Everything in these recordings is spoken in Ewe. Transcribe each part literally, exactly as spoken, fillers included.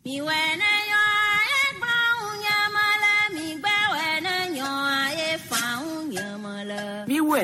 Miwɛ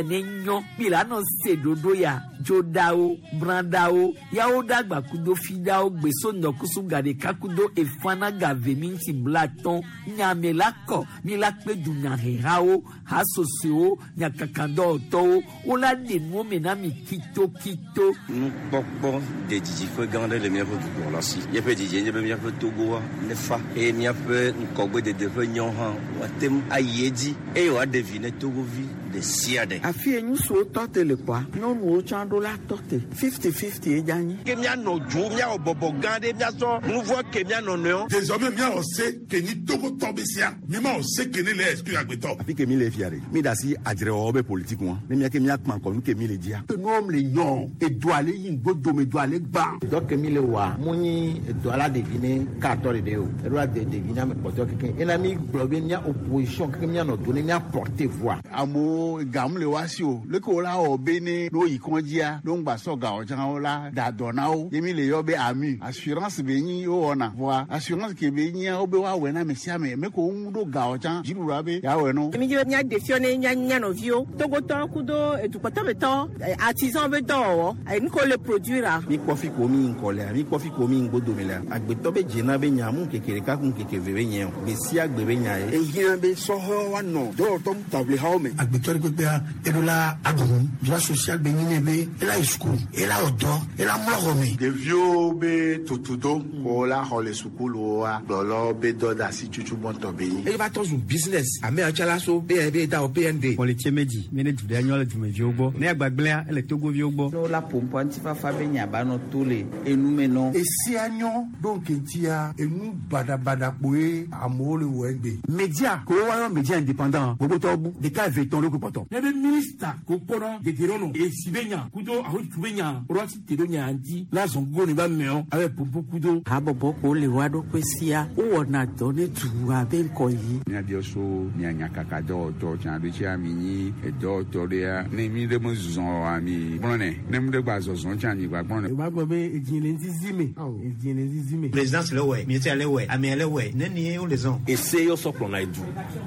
ne nyɔ milano se dodo ya dzodawo bradawo yawo dagba kudo fidawo gbeso nɔkusu gaɖeka kudo efana gave minti blatɔn nyame la kɔ mi la kpe dunyahehawo hasosowo nyakakadɔwɔtɔwo wola ɖe nuwo me na mi kitokito. Nukpɔkpɔ de didiƒe gã aɖe le míaƒe dukplɔla si. Míaƒe didie nye be míaƒe Togoa nefa eye míaƒe ŋgɔgbedede ƒe nyɔ hã woate ŋu ayi edzi eye wòaɖe vi ne Togovi ɖe sia ɖe. Afi ye ŋutsuwo tɔ te le kɔa, nyɔnuwo tsã ɖo la tɔ te. Fifty fifty ye dza nyi. Ke míanɔ dzo, míawɔ bɔbɔ gã ɖe, míasɔ nu vɔ ke míanɔ nɔewo. Désormais míawɔ se ke nyi Togotɔ be sia, mímawɔ se ke ne le exclure agbetɔ. Afi ke mi le fia ɖe, mi da asi adzrewɔwɔ be politique ŋua, ne míake míakpã ŋkɔ nu ke mi le dzia. Nuwo le nyɔ, edoa le yi ŋgbodome, doa le gbã. Dɔ ke mi le wɔa, mu nyi edoa la ɖevi ne katɔ ɖeɖe o, eɖo la de ɖevi na ame kpɔtɔe keke. Ena mi gblɔ be mía opposition keke míanɔ do ne mía porter voix. Amewo gam le wa si o, leke wo la wɔ be ne no yi kɔndzia, no ŋgba sɔ gawo tsã wo la da dɔ na wo. Ye mi le yɔ be AMU, assurance be nyi wo wɔna. Voa assurance ke be nyia wo be woawɔe na ame sia ame, me ko wo ŋu ɖo gawo tsã, dziɖuɖua be yeawɔe no. Mi dzi be míaɖe fia ne mía mía nɔviwo, Togotɔwo kudo edukpɔtɔmetɔ, artisan be dɔwɔwɔ, nu ke wole produire. Mi kpɔ fi ko mi ŋkɔ lea, mi kpɔ fi ko mi ŋgbodome lea, agbetɔ be dzena be nya mu ŋkeke ɖeka ku ŋkeke eve be nye o, gbe sia gbe be nya ye. Ehiã be sɔhɛwo woanɔ dɔwɔtɔ taʋlihawo me. Agbetɔ ɖe kpekpea, eɖo la aɖu droit social be nyi ne be ela yi sukulu, ela wɔ dɔ, ela mlɔ xɔ me. Ɖeviwo be tutudo ko la xɔ le sukuluwoa, gblɔlɔ be dɔ de asi tutu gbɔntɔ be nyi. Eye va tɔ zu business, ame yawo tsã la so B N B da o B N D. Politie medzi, mi ne du ɖe nyɔ le dumeviwo gbɔ, ne agbagblẽa ele Togoviwo gbɔ. Ne wola ƒoƒoa ŋutifafa be nya ba nɔ to le enume nɔ. Esia nyɔ ɖo ŋkeŋtia, enu baɖabaɖa kpoe amewo le wɔ egbe. Media ko woayɔ media indépendant gbogbotɔwo bu ɖeka eve tɔn ɖo ko kpɔtɔ. Ne be minista ko kpɔnɔ degerɔnɔ esi be nya kudo ahotu be nya rɔsi te ɖo nya ŋuti la zɔn gogo ne ba mɛɔ abe popo kudo. Habɔbɔ ko le wa ɖokui sia, wowɔna dɔ ne dua be ŋkɔ yi. Míabiɔ so mia nyakaka dɔwɔtɔ tsã ɖo tsia mi nyi edɔwɔtɔ ɖea ne mi ɖe me zɔzɔ oa mi gblɔnɛ ne mi ɖe gba zɔzɔ tsã mi gba gblɔnɛ. O b'a gbɔ be edzi le ŋzizi me, edzi le ŋzizi me. Présidence le wɛ, ministère le wɛ, amea le wɛ, ne ni wo le zɔn. Ese yɔ sɔ kplɔna edu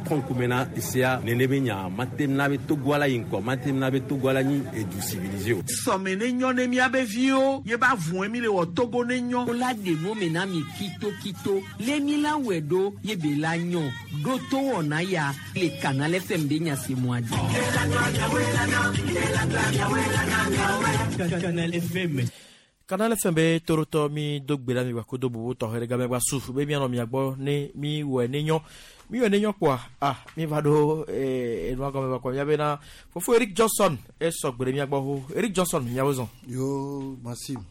kɔnkume na esea nene be nya mate na be Togoa la yi ŋkɔ mate na be Togoa la nyi edu civilisé o. Sɔme ne nyɔ ne miabe viwo ye ba vɔe mi le wɔ Togo ne nyɔ. Wola ɖe nuwo me na mi kitokito le mi la wɔe ɖo ye be la nyɔ ɖo to wɔna ya le Canal F M be nya se mɔa dzi. Canal F M. Canal F M be torotɔ mi do gbe la mi gba kodo bubu tɔxɛ ɖe game gba su be mianɔ mia gbɔ ne mi wɔe ne nyɔ mi wɔe ne nyɔ kpoa ah mi va ɖo ee enua gɔme va kɔ mia bena fofo Eric Johnson esɔ gbe ɖe mia gbɔ ho Eric Johnson miawo zɔn. Yo Maxime.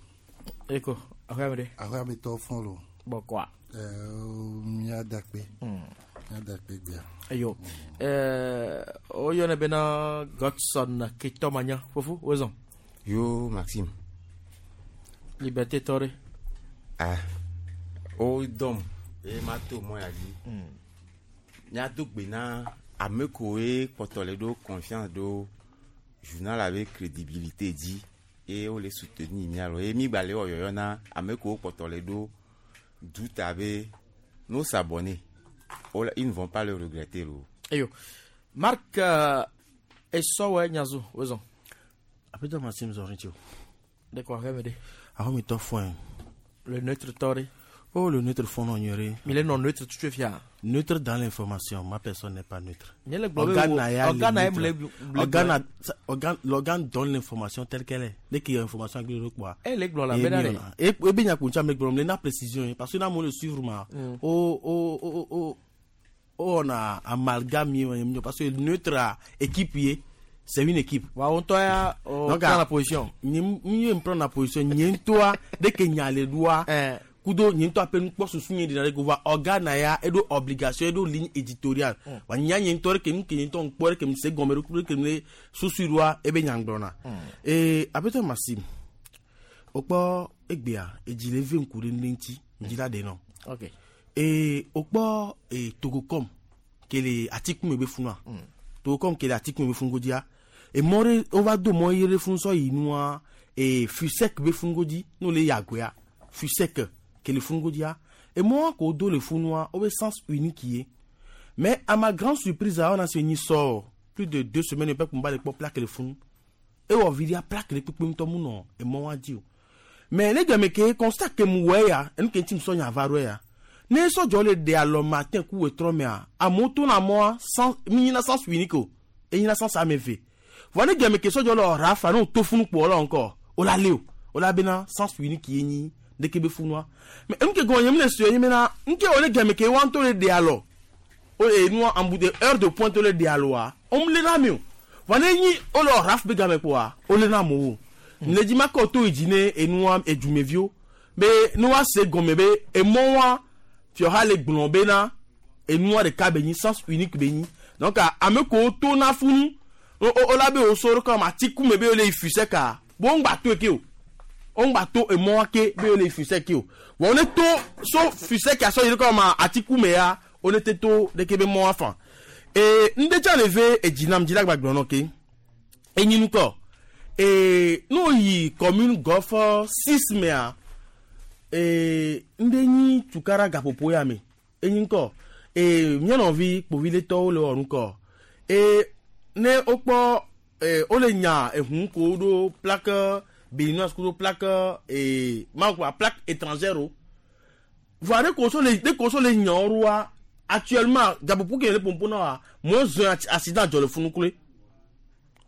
Eko ahoya me ɖe. Ahoya me tɔ fɔn lo. Bɔkɔa. Ɛɛ mia dakpe. Mia dakpe gbea. Ayo ɛɛ woyɔnɛ bena Godson Ketomanya fofo wo zɔn. Yo Maxime. Liberté tɔ ɖe. Ah, o dɔm eye ma to mɔ ya dzi. Míado gbe na ame koe kpɔtɔ le ɖo confiance ɖo journal abe crédibilité dzi eye wole soutenir mía lɔ eye mi gba le wɔ yɔyɔ na ame kowo kpɔtɔ le ɖo doute abe nos abonnés ils ne vont pas le regretter lo. Eyo Marc euh, esɔwɛ nyazo wozɔn. Apetɔ Maxime zɔrin tso. De quoi rêve de. Ah mi tɔ fɔn. Le neutre tɔ Oh, le neutre fond non nyere. Mais le non neutre tu te fias. Neutre dans l'information, ma personne n'est pas neutre. Organe organe organe l'organe donne l'information telle qu'elle est. Dès qu'il y a information quoi. Eh les la bena. Et et bien kuncha me gblɔ na précision parce que na mo le suivre ma. Oh oh oh oh on a amalgame parce que neutre équipe c'est une équipe. Ouais, on toi on prend la position. Ni ni prend la position, ni toi dès que n'y a les doigts kudo nye ŋutɔ aƒe nukpɔsusu nye ɖina ɖe ko va organe ya eɖo obligation eɖo ligne éditoriale wa nya nye ŋutɔ ɖe ke nu ke nye ŋutɔ ŋkpɔ ɖe ke mi se gɔme ɖe ke mi le susu ɖoa ebe nya gblɔna ee aƒetɔ Maxime wokpɔ egbea edzi le ve ŋku ɖe ne ŋuti ŋdzi la ɖe nɔ ok ee wokpɔ ee Togocom ke le atikume be funua Togocom ke le atikume be fun godzia emɔ ɖe wova do mɔ ɣi ɖe fun sɔ yi nua ee Fusec be fun godzi n'o le yagoya Fusec ke le fun godzia Emɔ ko do le funua o be sens unique ye. Mais à ma grande surprise, on a se ni sort plus de deux semaines et puis on va les plaque le funu. Et on vit plaque le kpekpe ŋutɔ mu nɔ emɔ wa di o. Mais ne game ke constat ke mu wɛ ya, enu ke ŋuti mu sɔ nya va ɖo ya. Ne sɔdzɔ le ɖe alɔ matin ku wetrɔ mea, amewo to na mɔa sans mi nyina sens unique o, enyina sens ame eve. Vɔ ne game ke sɔdzɔ le ɔra fa ne o to funu kpɔ la encore, o la le o, o la bena sens unique ye nyi ɖeke be funua. Mais enu ke gɔme nye mi le sue nye bena, nke wo ne game ke wa ŋutɔ le ɖe alɔ, o enua emboute heure de pointe le ɖe alɔa, o mu le na mi o. Vɔ ne nyi o le ɔra be game kpoa, o le na amewo. Ne dzi ma kɔ to yi dzi ne enua edumeviwo be ne wa se gɔme be emɔ wa fiɔha le gblɔ bena enua ɖeka be nyi sens unique be nyi. Donc ame ko to na funu o o la be o soro kɔ ma ti kume be o le yi fusɛ ka bo ŋgba to eke o o ŋgba to emɔ wa ke be o le yi fusɛ ke o bon ne to so fusɛ ke asɔ yi kɔ ma ati kume ya o ne te to ɖeke be mɔ wa fan ee ŋdetsa le ve edzinam dzi la gbagblɔ nɔ ke enyinu kɔ ee n'o yi commune golf six mea ee ŋɖe nyi tukara gaƒoƒo ya me enyi ŋkɔ ee mía nɔvi kpoviletɔwo le wɔ nukɔ ee ne wokpɔ ee wole nya ehu ko ɖo plaque béninoise ko ɖo plaque ee makua plaque étrangère o voa ne ko so le ne ko so le nya wo ɖoa actuellement gaƒoƒo ke le pompo na wa moins un accident dzɔ le funu kloe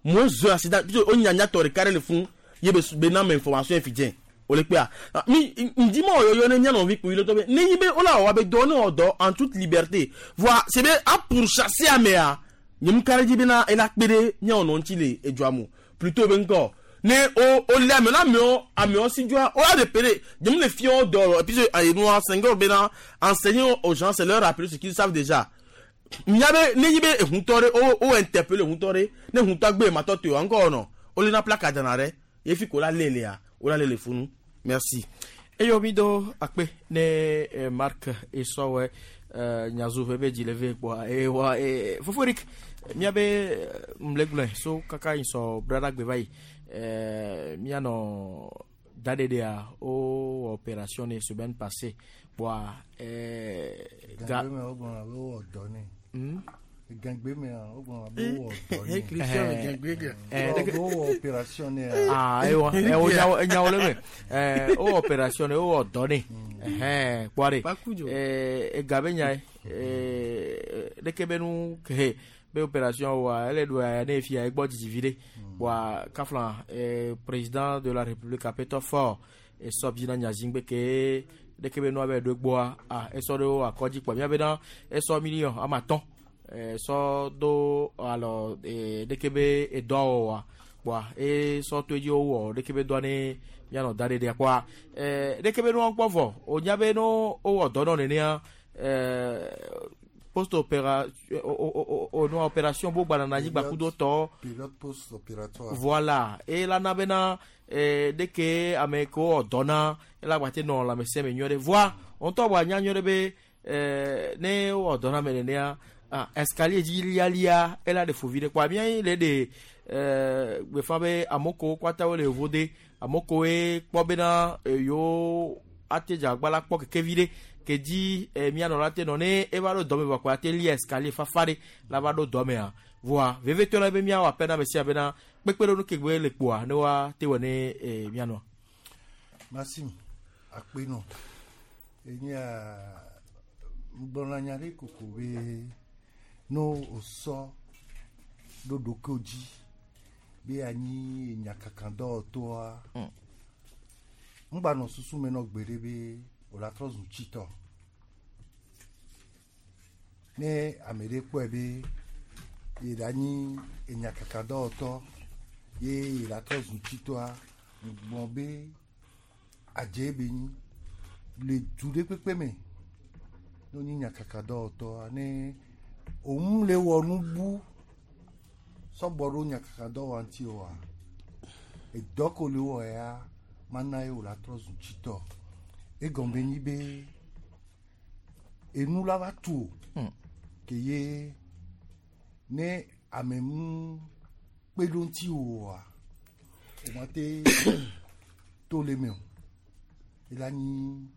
moins un accident puisque wo nya nyatɔ ɖeka ɖe le funu ye be be na me information fi dze o le kpea mi ŋdi ma wɔyɔyɔ ne mía nɔvi kpoviletɔ be ne nyi be wola wɔ be dɔ ne wɔ dɔ en toute liberté voa c'est be a pourchasser amea nye mu ka ɖe dzi bena ela kpe ɖe míawo nɔ ŋuti le edzoa mo plutôt be ŋkɔ ne o o lé amewo na amewo amewo si dzoa o la repéré nye mu le fia wo dɔ et puis enua Senghor bena enseigner aux gens c'est leur rappeler ce qu'ils savent déjà mía be ne nyi be ehutɔ ɖe o o interpeller ehutɔ ɖe ne ehutɔ gbe matɔ te o ŋkɔ nɔ o le na plaque dana ɖe ye fi ko la lé lea o la lé le funu. Merci. Eyo mi do akpe ne eh, Marc esɔwɛ eh, nyazu ƒe be dzi le ve kpoa ewa eh, fofo Eric miabe mlegblɔe so kaka yi sɔ brada gbe va yi eh, mianɔ daɖeɖea wo opération ne semaine passée kpoa eh, ga gbe me wogblɔna be wowɔ dɔ nɛ. Hmm? Gangbe me wogblɔna be wowɔ dɔ nɛ. Eh, Wowɔ wowɔ opération nɛ. Ah, ewa, eh, wo nyawo enyawo le me. Eh, wo opération ne wo dɔ ne. Eh, kpoa ɖe. Eh, ega be nya ye. Eh, ɖeke be nu ke be opération wa ele ɖo ya ne fia egbɔ dzidzi vi ɖe. Kpoa kafla eh, président de la république apetɔ fort esɔ bi na nyazingbe ke ɖeke be nua be ɖo gbɔa ah esɔ ɖe wo akɔdzi kpoa mía bena esɔ million ama atɔ̃ eh, sɔ do alɔ eh, ɖeke be edɔa wɔwɔa kpoa esɔ to edzi wowɔ ɖeke be dɔa ne mianɔ da ɖeɖea kpoa eh, ɖeke be nua kpɔ vɔ wonya be no wowɔ dɔ nɔ nenea eh, post opéra o nua opération bo gbana na anyigba kudo tɔ Pilote post opératoire. voilà ela na bena eh, ɖeke ame ke wowɔ dɔ na ela gba te nɔ lãmesẽ me nyuie ɖe voa ŋutɔ bɔ anya nyuie ɖe be eh, ne wowɔ dɔ na me nenea ah, escalier dzi lialia ela ɖe fovi ɖe kpoa mía le ɖe eh, gbefa be amewo kewo kpata wole yevo de amewo kewoe kpɔ bena eh, yewo ate dze agba la kpɔ kekevi ɖe ke dzi eh, míanɔ la te nɔ ne eva ɖo dɔme vɔ kpoa ate lia escalier fafa ɖe la va ɖo dɔmea voa vevetɔ la be míawɔ ape na ame sia bena kpekpeɖeŋu ke gbe le kpoa ne woa te wɔ ne eh, míanɔa. Maxime akpe nɔ enyia ŋgblɔna nya ɖe koko be no wòsɔ ɖo ɖokuiwo dzi be anyi nyakakadɔwɔtɔa ŋgba nɔ susu me nɔ gbe ɖe be wòla trɔ zu tsitɔ ne ame ɖe kpɔe be ye ɖe anyi enyakakadɔwɔtɔ ye ye la trɔ zu tsitɔa ŋgblɔ be adze be nyi le du ɖe kpekpe me ne wonyi nyakakadɔwɔtɔa ne òun le wɔ nu bu sɔgbɔ ɖo nyakakadɔwɔa ŋuti oa edɔ ko le wɔ ya mana ye wòla trɔ zu tsitɔ egɔme be nyi be enu la va tu o ke ye ne ame mu kpe ɖo ŋuti oa o ma te to le me o ela nyi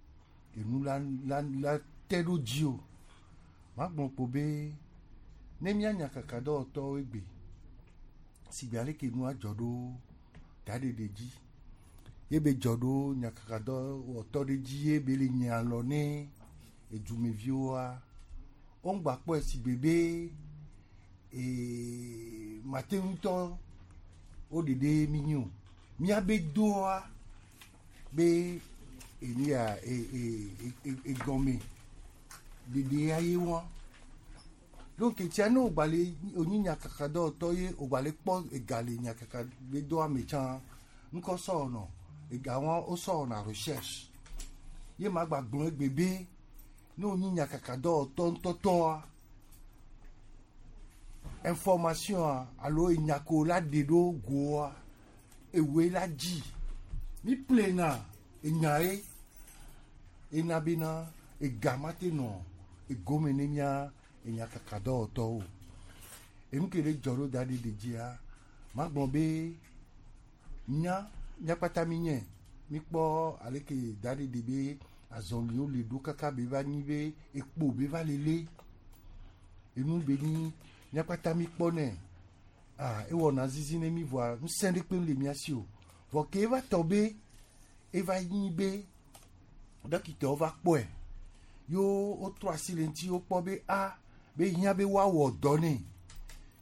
enu la la la te ɖo dzi o. Magblɔ kpo be ne mía nyakakadɔwɔtɔwo egbe sigbe ale ke nua dzɔ ɖo daɖeɖe dzi ye be dzɔ ɖo nyakakadɔwɔtɔ ɖe dzi ye be le nye alɔ ne edumeviwoa woŋgba kpɔe sigbe be ee mate ŋutɔ wo ɖeɖe mi nyi o. Míabe doa be enu ya e e e egɔme ɖeɖe ya ye wa. Donc tia ne wògba le onyi nyakakadɔwɔtɔ ye wògba le kpɔ ega le nyakaka be doa me tsã ŋkɔ sɔwɔnɔ ega wa wosɔwɔna recherche ye ma gba gblɔ egbe be ne wonyi nyakakadɔwɔtɔ ŋutɔtɔa information alo enya ko la ɖe ɖo goa ewoe la dzi mi plena enya ye ena bena ega ma te nɔ egome ne mía enyakakadɔwɔtɔwo. Enu ke ɖe dzɔ ɖo da ɖe ɖe dzia magblɔ be nya míakpata mi nye mikpɔ ale ke da ɖe ɖe be azɔliwo le ɖo kaka be va nyi be ekpo be va lele enu be nyi míakpata mi kpɔ nɛ ah ewɔna zizi ne mi voa ŋusẽ ɖe kpem le mía si o vɔ ke eva tɔ be eva nyi be dɔkitawo va kpɔe yo wotrɔ asi le ŋuti wokpɔ be a be hiã be woawɔ dɔ nɛ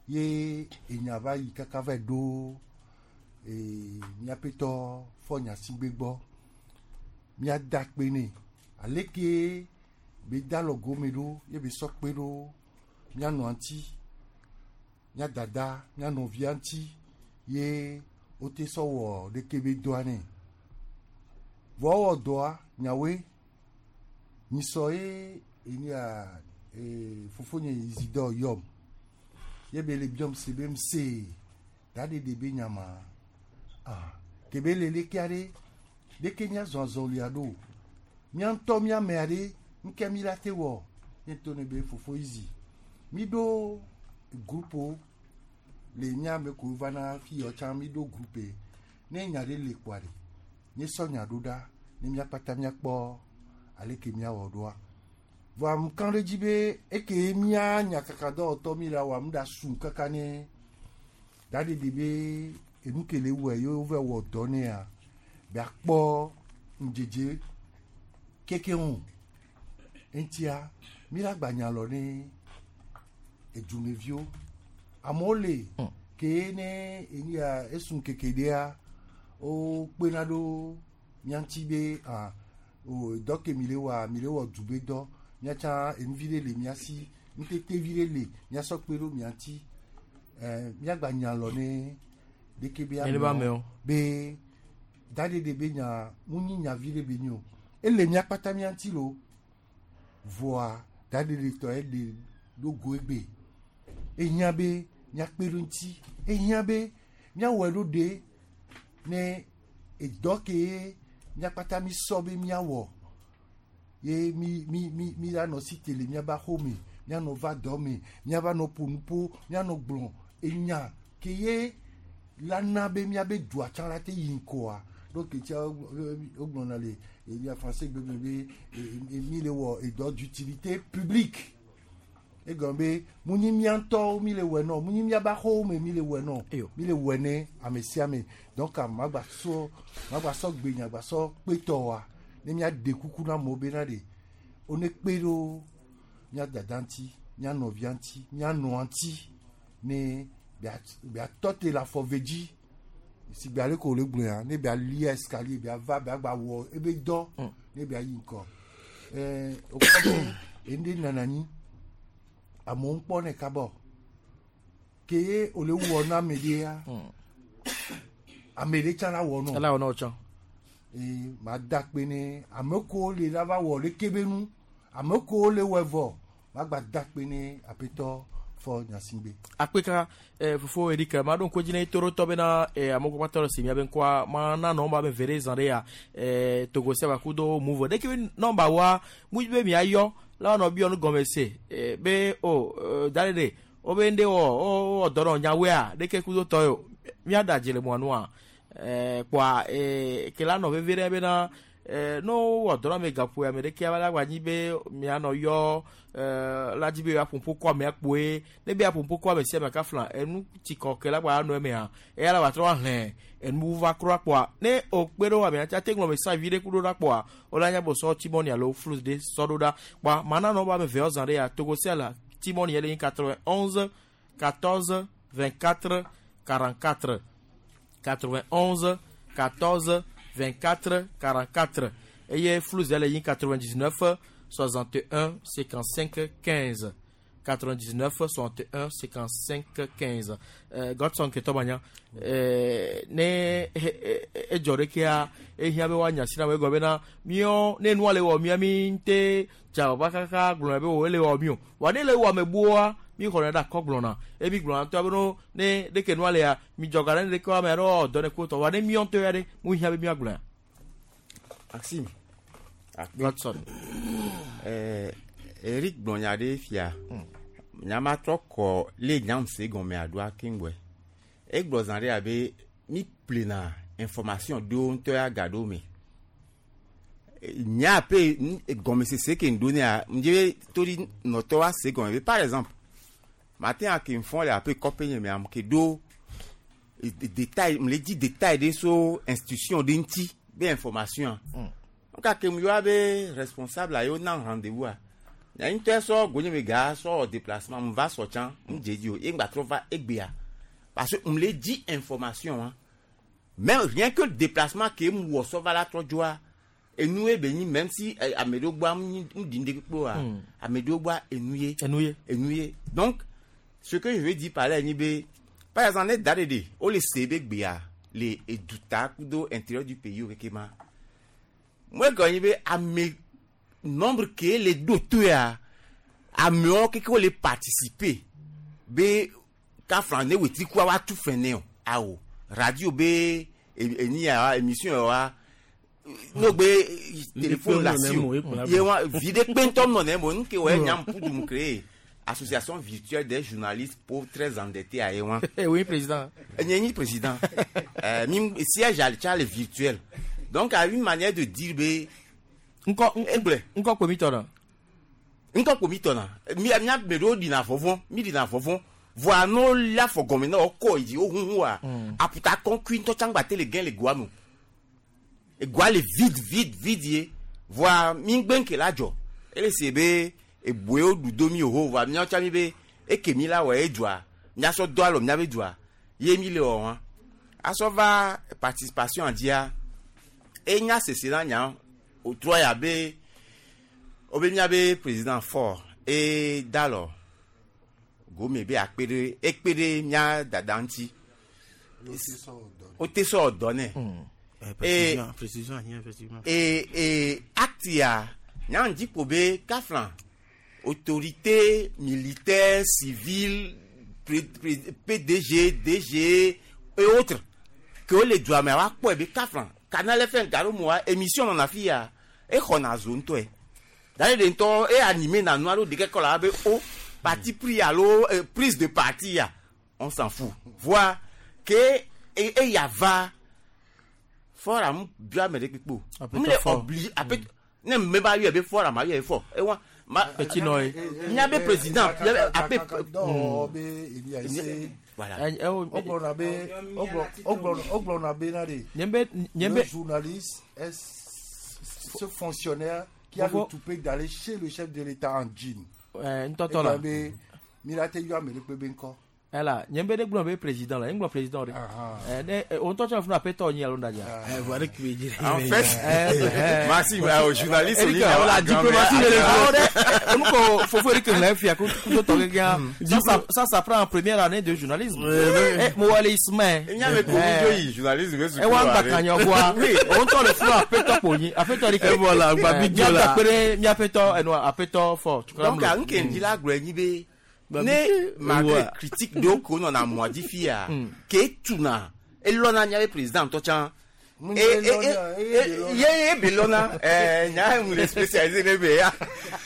ye enya va yi kaka va ɖo ee míaƒetɔ fɔ nyasigbe gbɔ míada kpe nɛ ale ke be da lɔ gome ɖo ye be sɔ kpe ɖo míanɔ ŋuti mía dada mía nɔvia ŋuti ye wote sɔ wɔ ɖeke be dɔa nɛ vɔ wowɔ dɔa nyawoe nyisɔ ye enia ee fofonye Isidore yɔm ye be le biɔm se be mse daɖeɖe be nyama ah ke be le leke aɖe ɖeke míazɔ azɔlia ɖo mía ŋutɔ mía ame aɖe ŋke mi la te wɔ ye to ne be fofo Izi mi ɖo groupe le mía ame ko vana fi yɔ tsã mi ɖo groupe ne nya ɖe le kpoa ɖe nye sɔ nya ɖo ɖa ne míakpata míakpɔ ale ke míawɔ ɖoa vɔa ŋkã ɖe dzi be eke mía nyakakadɔwɔtɔ mi la wɔ amu ɖa su kaka ne daɖeɖe be enu ke le wɔe ye wova wɔ dɔ nea be akpɔ ŋdzedze keke ŋu eŋutia mi la gba nya lɔ ne edumeviwo amewo le ke ne enu ya esun keke ɖea wokpena ɖo mía ŋuti be ah o dɔ ke mi le wɔa mi le wɔ du be dɔ míatsã enuvi ɖe le mía si ŋutete vi ɖe le míasɔ kpe ɖo mía ŋuti ɛɛ míagba nya lɔ ne ɖeke be Ene be amewo. be daɖeɖe be nya ŋu nyi nya vi ɖe be nyi o ele mía kpata mía ŋuti lo vɔa daɖeɖe tɔ eɖe ɖo go egbe ehiã be míakpe ɖo ŋuti ehiã be míawɔe ɖo ɖe ne edɔ ke míakpata mi sɔ be míawɔ ye mi mi mi mi la nɔ si te le míabe axome míanɔ va dɔ me míava nɔ ƒo nuƒo míanɔ gblɔ enya ke ye la na be míabe dua tsã la te yi ŋkɔa donc tia wogblɔna le mia français gbe me be mi le wɔ edɔ d'utilité publique egɔme be mu nyi mía ŋutɔwo mi le wɔe nɔ mu nyi míabe axɔwo me mi le wɔe nɔ mi le wɔe ne ame sia ame donc magba sɔ magba sɔ gbe nyagba sɔ kpetɔ wa ne míaɖe kuku na amewo bena ɖe wone kpe ɖo mía dada ŋuti mía nɔvia ŋuti mía nɔa ŋuti ne bia tɔ te le afɔ ve dzi sigbe ale ko wòle gblɔa ne bia lia escalier bia va bia gba wɔ ebe dɔ ne bia yi ŋkɔ ɛɛ wokpɔ be enu ɖe nana anyi amewo ŋkpɔ ne kaba o ke ye wòle wɔ na ame ɖea ame ɖe tsã la wɔ nɔ Ela wɔ nɔ tsã. ee ma da kpe ne ame kewo le la va wɔ leke be nu ame kewo le wɔe vɔ ma gba da kpe ne aƒetɔ fɔ nyasigbe. akpeka eh, fofo Eric ma ɖo ŋku edzi ne torotɔ bena eh, amewo kpakpatɔ le si miabe ŋkɔa ma na nɔmba be ve ɖe zã ɖe ya eh, Togo sia baku do Moov ɖeke be nɔmba wa mu be miayɔ la wɔnɔ biɔ nu gɔme se eh, be o eh, da ɖe ɖe wobe ŋɖe wɔ wowɔ dɔ nɔ nyawoea ɖeke kudo tɔ yo miaɖa dzi le mɔa nua eh, kpoa eh, ke la nɔ veve ɖe bena Eh, no wɔ dɔ na me gaƒo ame ɖeke ava la gba nyi be mianɔ yɔ eh, la dzi be aƒoƒo kɔ amea kpoe ne be aƒoƒo kɔ ame sia ame kafla enu tsikɔ ke la gba anɔ emea eya la gba trɔ ahlẽ enu va kura kpoa ne o kpe ɖo amea tia te ŋlɔ me sa vi ɖe ku ɖo ɖa kpoa wola nya bo sɔ tsimɔni alo flus ɖe sɔ ɖo ɖa kpoa mana nɔ be ame eve zã ɖe ya Togo sia la tsimɔni yɛ le nyi quatre-vingt-onze quatorze vingt-quatre quarante-quatre quatre-vingt-onze quatorze vingt-quatre quarante-quatre eye flus yɛ le nyi quatre-vingt-dix-neuf soixante et un cinquante-cinq quinze quatre-vingt-dix-neuf soixante et un cinquante-cinq quinze. euh, Godson Ketɔbanya euh, ne edzɔ ɖekea ehiã be woanya si na wo egɔ bena míɔ ne nua le wɔ mía mi ŋute dza ba kaka gblɔna be wo ele wɔ mi o wa ne le wɔ ame gboa mi xɔna ɖe akɔ gblɔna emi gblɔna ŋutɔ be no ne ɖeke nua lea mi dzɔ ga ɖe ne ɖeke ame aɖewo dɔ ne ko tɔ wa ne míɔ ŋutɔ ya ɖe mu hiã be míagblɔa. Maxime. Godson. Eh, Eric gblɔ nya ɖe fia. Nya ma trɔ kɔ le nyam se gɔme aɖoa keŋgbɔe. Egblɔ zã ɖe abe mi ƒlena information ɖewo ŋutɔ ya ga ɖewo me. Nya pe gɔmesese ke ŋɖo nea ŋdze be toɖi nɔtɔ wa se gɔme be par exemple matin a ke ŋfɔ le ape kɔƒe nye mea ke ɖo détail m le dzi détail ɖe so institution ɖe ŋuti be information nka ke mu yɔ be responsable a yewo na rendez-vous a nya ŋutɔ sɔ gonye me ga sɔ déplacement mu va sɔ tsã mu dze dzi o ye ŋgba trɔ va egbea parce que mu le dzi information wa même rien que le déplacement ke mu wɔ sɔ va la trɔ dzoa enu ye be nyi même si ame ɖewo gbɔa mu ɖi ŋɖe kpekpe oa ame ɖewo gbɔa enu ye enu ye enu ye donc ce que je veux dire par là nyi be par exemple ne da ɖe ɖe wo le se be gbea le eduta kudo intérieur du pays wo keke ma mo egɔ nyi be ame nombre ke le ɖo to ya amewo keke wo le participer be kafra ne wetri kua wa tu fɛn ne o awo radio be eni ya émission wa n'o gbe téléphone la si o ye wa vi ɖe kpe ŋutɔ nɔ ne mo nu ke wɔ nyam pudu créer association virtuelle des journalistes pauvres très endettés à Ewan. Oui, président. Nye nyi président. euh, mi siège à le virtuel. Donc, à une manière de dire be. Nkɔ nkɔ kpo mi tɔ na. Nkɔ kpo mi tɔ na. Mi mi me ɖewo ɖina vɔvɔ, mi ɖina vɔvɔ. Voa n'o la fɔ gɔmɛ na o kɔ yi dzi o huhu wa. Aputa kɔnkui ŋutɔ tsã gba te le gɛn le goa me. Egoa le vide vide vide ye. Voa mi gbe ŋke la dzɔ. Ele se be eboe ɖu do mi o ho voa miawo tsã mi be eke mi la wɔ edua miasɔ do alɔ miabe dua ye mi le wɔ wa. Asɔ va participation dzia enya sese na nya o trɔ ya be o be miabe président fort e dalɔ gome be akpe ɖe ekpe ɖe mia dada ŋuti o te sɔ dɔ nɛ. Précision, précision, effectivement. Et, et acte ya nya ŋdi ko be kafla autorité militaire civile P D G D G et autres que le dua me wa kpɔe be kafla Canal F M garo mo wa émission nɔna fi ya exɔna zo ŋutɔe dale de ŋutɔ e animé na nu alo ɖeke kɔ la be o parti pris alo euh, prise de parti ya on s'en fout voit que e e ya va fort bia me ɖe kpekpe o m le obligé ape ne me ba yɔ be fort ma yɔ fort e wa ma petit noy miabe président ape voilà le journaliste est ce fonctionnaire qui a le toupet d'aller chez le chef de l'État en jean. Ntɔtɔ la milate yɔ ame ɖe kpe ŋkɔ. Ela nye be ɖe gblɔ be président la, nye gblɔ président ɖe. Ne o ŋutɔ tsɔ funu aƒetɔ nyi alo ndadia. En fait, merci au journaliste Eric, la diplomatie de l'école. Nous ko fofo Eric lɛ fia ko ko tɔ keke ça ça ça ça prend en première année de journalisme. Eh mo wale Ismaël. Nya me ko mi joyi journalisme be E wa gba kanya gwa. O ŋutɔ le funu aƒetɔ kpo nyi. Aƒetɔ Eric. E voilà, gba bi dzo la. Mia aƒetɔ enu aƒetɔ fɔ. Donc nke ndi la gblɔ nyi be ne malgré critique ɖewo ko nɔna mɔa dzi fia ke tuna elɔna miabe président ŋutɔ tsã ye ye be lɔna ɛɛ nya mu le spécialisé ne be ya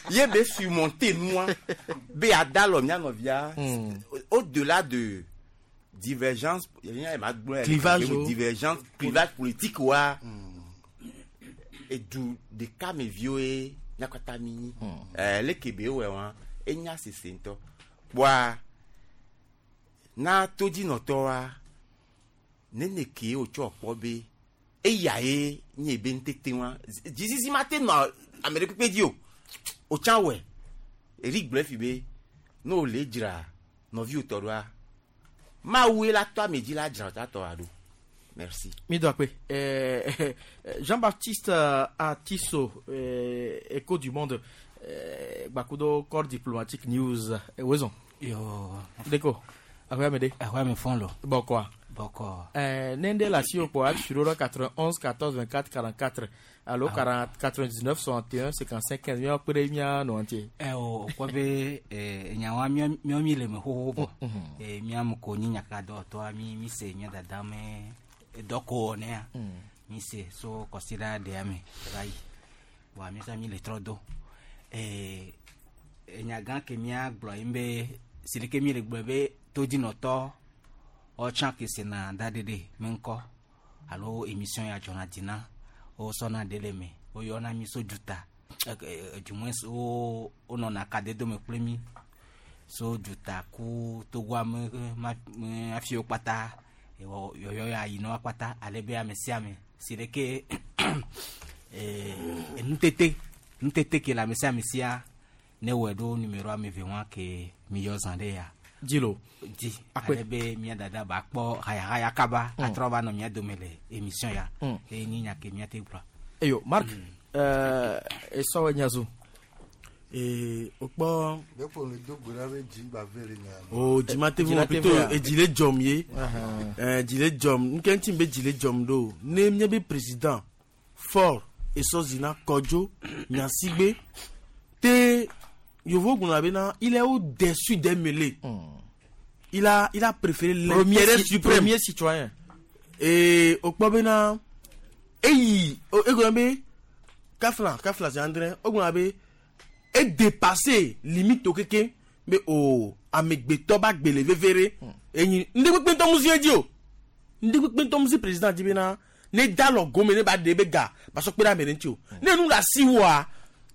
ye be surmonter nua be ada lɔ mia nɔvia au delà de divergence clivage divergence clivage politique wa Edu ɖeka me viwo ye míakpata mi nyi. Ɛɛ leke be wɔ wa enya sese ŋutɔ. Kpoa na todzinɔtɔwoa nene ke wotsɔ kpɔ be eya ye nye be ŋutete wa dzizizi ma te nɔ ame ɖe kpekpe dzi o. Wotsã wɔe. Eri gblɔe fi be ne wòle dzra nɔviwò tɔ ɖoa Mawu la tɔ ame dzi la dzra ta tɔ ɖo. Merci. Mi do akpe. Eh, Jean-Baptiste Atiso, eh, Écho du Monde, eh, Bakudo Corps Diplomatique News, eh, Wezon. Yo. Deko. Ahwe amede. Ahwe ame fon lo. Bokwa. Bokwa. Eh, nende la si au sur quatre-vingt-onze quatorze vingt-quatre quarante-quatre. Allo quarante quatre-vingt-dix-neuf soixante et un cinquante-cinq quinze. Mi akpere mia no entier. Eh o kwa be eh nyawa mi mi mi le me ho ho bo. Eh mi am ko ni nyaka do to mi mi se mi dada me doko ne ya. Mi se so considera de ame rai. Bo mi sa mi le trodo. Eh nyagan ke mi agblo imbe silike mi le gbe be todzinɔtɔ ɔtsã ke sena daɖeɖe me ŋkɔ alo émission ya dzɔna dzi na wosɔna ɖe le me woyɔna mi so dzuta du moins wo wonɔna kadedome kple mi so dzuta ku togoa me me afiwo kpata yɔyɔ ya yinɔ kpata ale be ame sia ame si ɖeke nutete nutete ke le ame sia ame sia ne wɔe ɖo numéro ame eve wa ke mi yɔ zã ɖe ya. Dilo. Di. Ale be mia dada ba kpɔ hayahaya kaba atrɔ va nɔ mia dome le émission ya. Eye nyi nya ke mia te gblɔ. Eyo Marc, euh esɔ nyazu. Eh okpɔ. Deko le do gbe be dzi gba ve le nya. Oh dzi ma te vo plutôt edzi le dzɔm ye. Eh dzi le dzɔm. Nke ŋuti be dzi le dzɔm ɖo. Ne mía be président Faure Essozimna Kodjo Gnassingbé te Yovo Gunabena, il est au-dessus des mêlées. Mm. Il a, il a préféré l'intérêt suprême. Premier citoyen. Et au Kpobena, et il, Kafla, Kafla, c'est André, Ogunabe, est dépassé limite au kéké, mais au Amegbe Toba Gbele Vevere, et il ne peut pas tomber Dieu. Ne peut pas tomber président Dibena, ne dalo gome ne ba debega, parce que la menentio. Ne nous la siwa.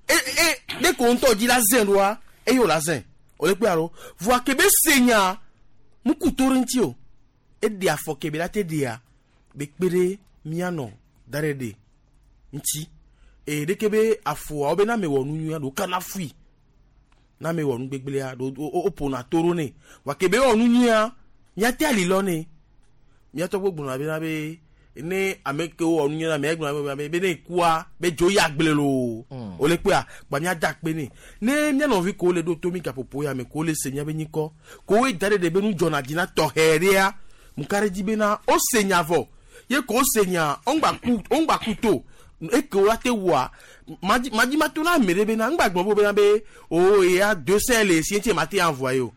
Et, et, dès qu'on t'a dit la zen, et yo la zen. On est quoi, voit que be seigneur, mukutorentio. Et dia foke be la te dia, be kpere miano, darede. Nti. Et dès que be afo, obe na me wonu nya, do kana fui. Na me wonu gbegbele do o pona torone. Wa ke be wonu nya, nya te ali lone. Mia to gbogbo na be na be ne ame ke wo onu nyana me gbona be be ne kwa be joya gblelo o le pe a gba mi ada pe ni ne mi no vi ko le do to mi ka popo ya me ko le se nya be nyiko ko we dare de be nu jona dina to heria mu kare di be na o se nya vo ye ko se nya on gba ku on gba ku to e ko la te wa maji maji ma to na mere be na ngba gbon bo be na be o e ya deux cents le si ti ma te envoyer o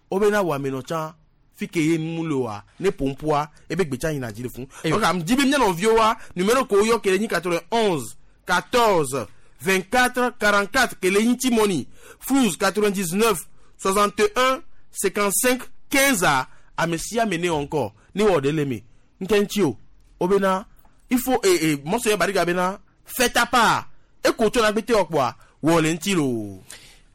o be na wa me no chan fike ye muloa ne pompoa e be gbecha yin ajire fun donc am di be mi no viowa numéro ko yo kele ni quatre-vingt-onze quatorze vingt-quatre quarante-quatre kele ni timoni Frouz quatre-vingt-dix-neuf soixante et un cinquante-cinq quinze a amesia mene encore ni wo de lemi nkenchi o obena il faut et et monsieur Bariga bena fais ta part e ko to na gbete opo a wo le ntilo.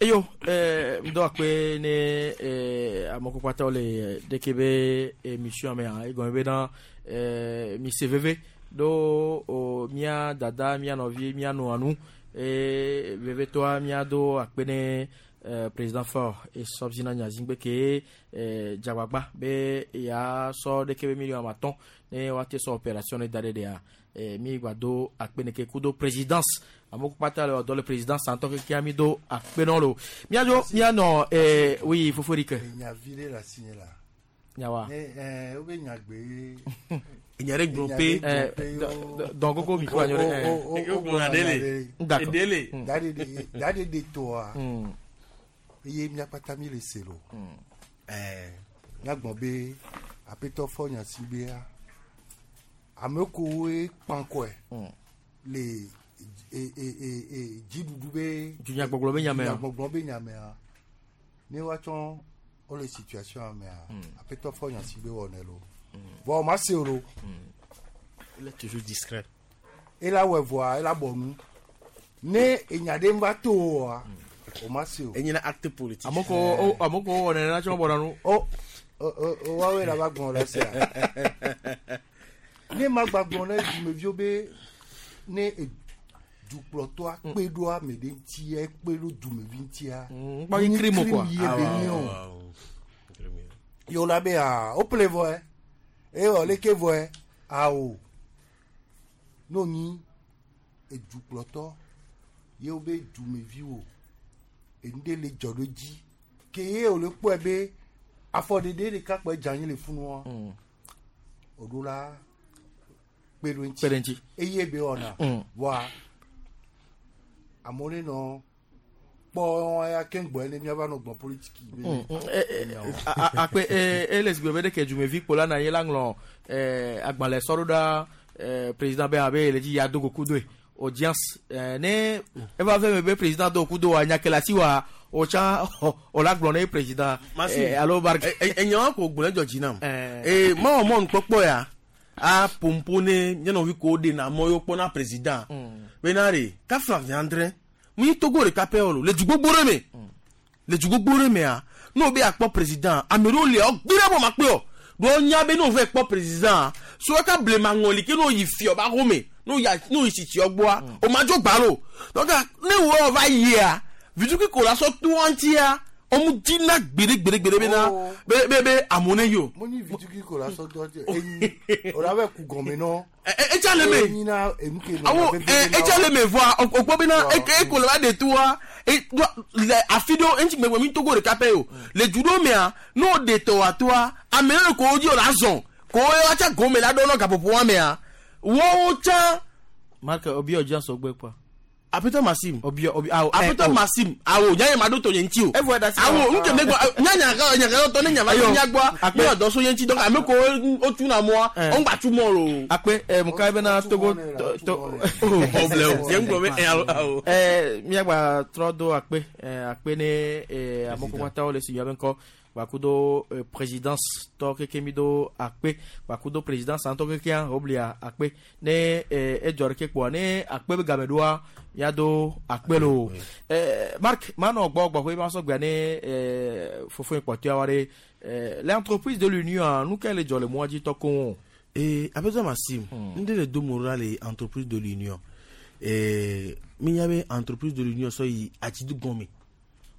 Eyo, eh, mdo akpe ne eh, amoko kwata ole dekebe émission me ha ego be na eh, mi C V V do o mia dada mia novi mia no anu e veve toa mia do akpe ne eh, président Faure Essozimna Gnassingbé ke eh, Djagbagba be ya so dekebe million maton ne wate so opération ne dade de a eh, mi gbado akpe ne ke kudo présidence amoko pata le do le président santo ke ki amido akpe non lo miajo miano eh oui foforike nya vile la signé la nyawa eh eh obe nya gbe nya re grompe eh donc ko mi ko anyore eh d'accord dele dade dade de toa ye mia pata mi le selo eh nya gbon be apeto fo nya sigbe a ameko e panko e le e e e e dziɖuɖu be dunyagbɔgblɔ be nyamea dunyagbɔgblɔ be nyamea ne woatsɔ wole situation mea aƒetɔ fɔ nya si be wɔnɛ lo vɔ ma se o lo. Il est toujours discret. Ela wɔ vɔa ela bɔ nu. Ne enya ɖe va to oa, o ma se o. Enye na acte politique. Amoko o amoko wɔ nene na tsɔ bɔna nu. O o o woawoe la va gblɔ la sea. Ne ma gba gblɔ ne dumeviwo be ne dukplɔtɔa kpe ɖo ame ɖe ŋutia ekpe ɖo dumevi ŋutia. Ŋkpɔ yi crime quoi. Ye be nyi o. Yewo la be aa wo ple vɔe eye wɔ leke vɔe awo n'o nyi edukplɔtɔ yewo be dumeviwo enu ɖe le dzɔ ɖo dzi ke ye wòle kpɔe be afɔɖeɖe ɖeka kpɔe dze anyi le funua wòɖo la kpe ɖo ŋuti Kpe ɖe ŋuti. Eye be wɔna Mm. vɔa amewo ne nɔ kpɔ ya keŋ gbɔe ne míava nɔ gbɔn politiki be Mm, mm, eh, eh, a- a- akpe eh, ele sigbe be ɖeke dumevi kpo la na ye la ŋlɔ eh, agbalẽ sɔ ɖo ɖa eh, président be abe ele dzi ya do goku doe audience eh, ne eva ve me be président do goku do wa nya ke le asi wa o tsã o la gblɔ ne président Masi. eh, alo bar Enyawo ko gblɔ dzɔ dzi nam. Ee mawɔ mɔnukpɔkpɔ ya a pompo ne míanɔvi ko ɖe na mɔ yewo kpɔna président. Bena ɖe kafla viandre mi Togo ɖeka pɛ o lo le du gbogbo ɖe me. Le du gbogbo ɖe mea n'o be akpɔ président ame ɖewo lia wo gbi ɖe bɔ ma kpe o. Ɖo nya be n'o vɛ kpɔ président so eka blema ŋɔli ke n'o yi fiɔ ba xɔme n'o ya n'o yi tsitsiɔ gbɔa o ma dzo gba lo. Donc ne wo va yia vitukui ko la sɔ to ŋutia ɔmu dzina gbeɖe gbeɖe gbeɖe bena be be be amewo ne yi o. mo nyi vitukui ko la sɔ dɔ dze enyi o la bɛ ku gɔmɛ nɔ. Etsa le me. Enyi na enu ke nɔ Awo veve ɛ na etsa wo. le me vɔa o kpɔ bena eko le va de toa e le afi ɖewo eŋuti gbegbe mi Togo ɖeka pɛ o le du ɖewo mea ne wo de tɔ wa toa ame ɖe ko wo dzi wo la zɔn ko wo atsa gome la ɖo nɔ gaƒoƒo wa mea woawo tsã. Marc obi audience ogbe quoi. Apetɔ Maxime. Obi obi awo Apetɔ Maxime awo nyanya ma ɖo tɔ nye ŋuti o. Evo da si. Awo nke me gbɔ nyanya ka nyanya tɔ ne nya va Ayo. nya gbɔa Akpe. mi dɔ so nye ŋuti donc ame ko wo tu na mɔa wo ŋgba tu mɔ lo. Akpe eh, muka bena Togo to to Problème. Nye ŋgblɔ be eh, alo awo. Eh, miagba trɔ do akpe eh, akpe ne eh, amewo katã le si miabe ŋkɔ gbakudo eh, présidence tɔ keke mi do akpe gbakudo présidence ŋutɔ kekea woblia akpe ne eh, edzɔ ɖeke kpoa ne akpe be game ɖoa miado akpe lo. Eh, Marc manɔ gbɔ gbɔƒe ma sɔ gbea ne eh, fofoe kpɔtɔeawo ɖe eh, l'entreprise de l'union nu ke le dzɔ le mɔa dzi tɔ koŋ. Ee Apetɔ Maxime n de le do mo ɖa le entreprise de l'union ee mi nya be entreprise de l'union sɔ yi atidu gɔme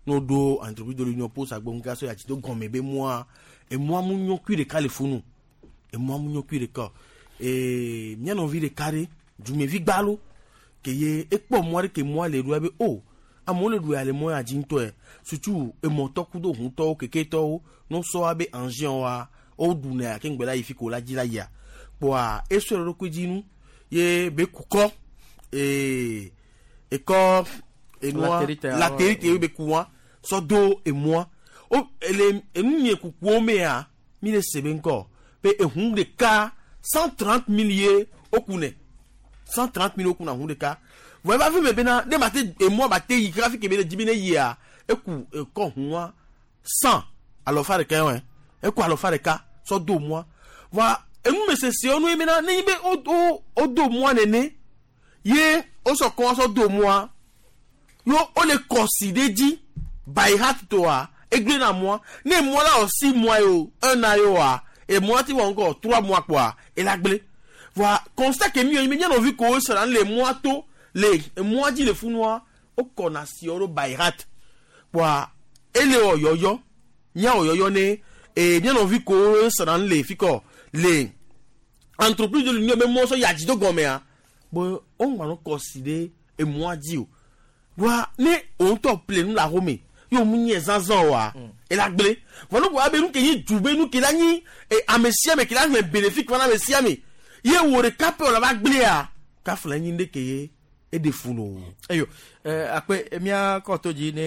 n'o do entreprise de l'union po sagbɔ ŋka sɔ yi atidu gɔme be mɔa emɔa mu nyɔ kui ɖeka le funu emɔa mu nyɔ kui ɖeka ee mía nɔvi ɖeka ɖe dumevi gbalo ke ye ekpɔ mɔ ɖe ke mɔa le ɖoa be o amewo le ɖu ya le mɔ ya dzi ŋutɔe sutu emɔtɔ kudo huntɔwo keketɔwo n'o sɔ wa be engin wa wo ɖuna ya ke ŋgbɛ la yi fi ko la dzi la yia kpoa esɔ le ɖokui dzi nu ye be kukɔ ee ekɔ enua Latérite, latérite ye be ku wa sɔ do emɔa o ele enu nye kukuwo mea mi le se be ŋkɔ be ehun ɖeka cent trente mille ye wo ku nɛ cent trente mille wo ku na hun ɖeka vɔ eva fi me bena ne ma te emɔa ba te yi kaka fi ke be le dzi be ne yia eku ekɔ hun wa cent alɔfa ɖeka yɔ eku alɔfa ɖeka sɔ do mɔa vɔa enumesese nu ye bena ne nyi be wo wo wo do mɔa nene ye wosɔ kɔ sɔ do mɔa yo wole kɔsi ɖe dzi by heart toa egble na mɔa ne mɔa la wɔ six mois ye o un an ye oa emɔa ti wɔ ŋgɔ trois mois kpoa ela gblẽ voa constat ke mi yɔ nyi be nɔvi ko sra le mɔa to le mɔa dzi le funua wokɔna si ɖo by heart kpoa ele wɔ yɔyɔ mía wɔ yɔyɔ ne ee mía nɔvi ko sra le fi kɔ le entreprise de l'union be mɔ sɔ yadzi do gɔmea bo woŋgba no kɔsi ɖe emɔa dzi o wa ne òun tɔ ple nu le axome ye òun nye zazã oa ela gblẽ vɔ ne ko abe nu ke nyi du be nu ke la nyi e ame sia ame ke la hlẽ bénéfique va na ame sia ame ye wò ɖeka pɛ wòle va gblẽa kafla nyi ɖe ke ye eɖe fu no. eyo eh, akpe mía kɔ to dzi ne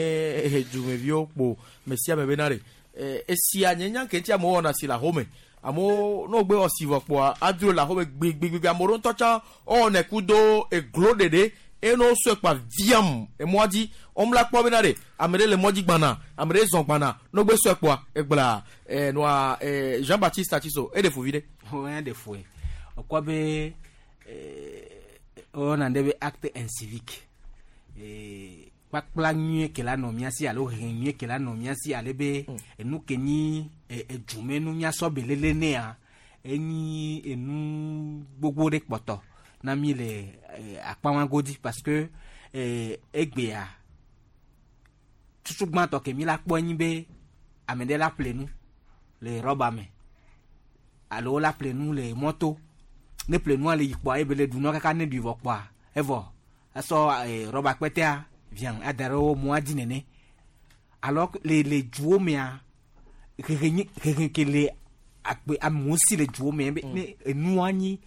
eh, dumeviwo kpo me sia me bena ɖe eh, esia nye nya ke ŋuti amewo wɔna si le axome amewo ne wogbe wɔ si vɔ kpoa adro le axome gbigbigbi amewo ɖewo ŋutɔ tsã wowɔnɛ kudo eglo ɖeɖe eye ne wosɔe kpa viam emɔa dzi womla kpɔ bena ɖe ame ɖe le mɔ dzi gbana ame ɖe zɔn gbana ne wogbe sɔe kpoa egblea eh, nua eh, Jean Baptiste Atiso eɖe fu vi ɖe. Wɔn ɖe fue ɔkɔ be eh, Wona ɖe be acte incivique. Eh, kpakpla nyuie ke la nɔ mía si alo hehe nyuie ke la nɔ mía si ale be enu ke nyi eh, edumenu míasɔ belele nea enyi enu gbogbo ɖe kpɔtɔ na mi le eh, akpa godi parce que eh, egbea tutu gbãtɔ ke mi la kpɔ enyi be ame ɖe la ƒle nu le rɔba me alo la ƒle nu le mɔto ne ƒle nua le yi kpɔa ebe le ɖu nua kaka ne ɖui vɔ kpɔa evɔ esɔ eh, rɔba kpɛtɛa vian ada ɖe wo mɔa dzi nene alors le le duwo mea hehe nyi hehe ke le akpe amewo si le duwo me be ne enua nyi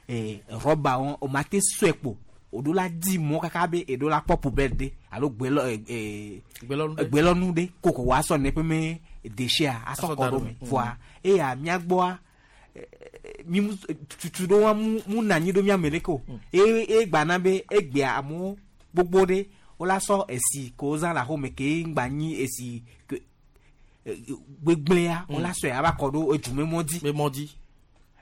eh, rɔba wɔn o ma te sɔe kpo o ɖo la di mɔ kaka be eɖo la kpɔ poubelle ɖe alo gbelɔ eh, gbelɔnu ɖe koko wa sɔ ne ƒe me déchet asɔ kɔ ɖo me voa eya mía gbɔa mi mu tutu ɖo wa mu mu na anyi ɖo mía me leke o eye egbana be egbea amewo gbogbo ɖe wola sɔ esi ko wozã le axome ke ŋgba nyi esi ke gbegblẽa wola sɔe ava kɔ ɖo edume mɔ dzi. mɔ dzi.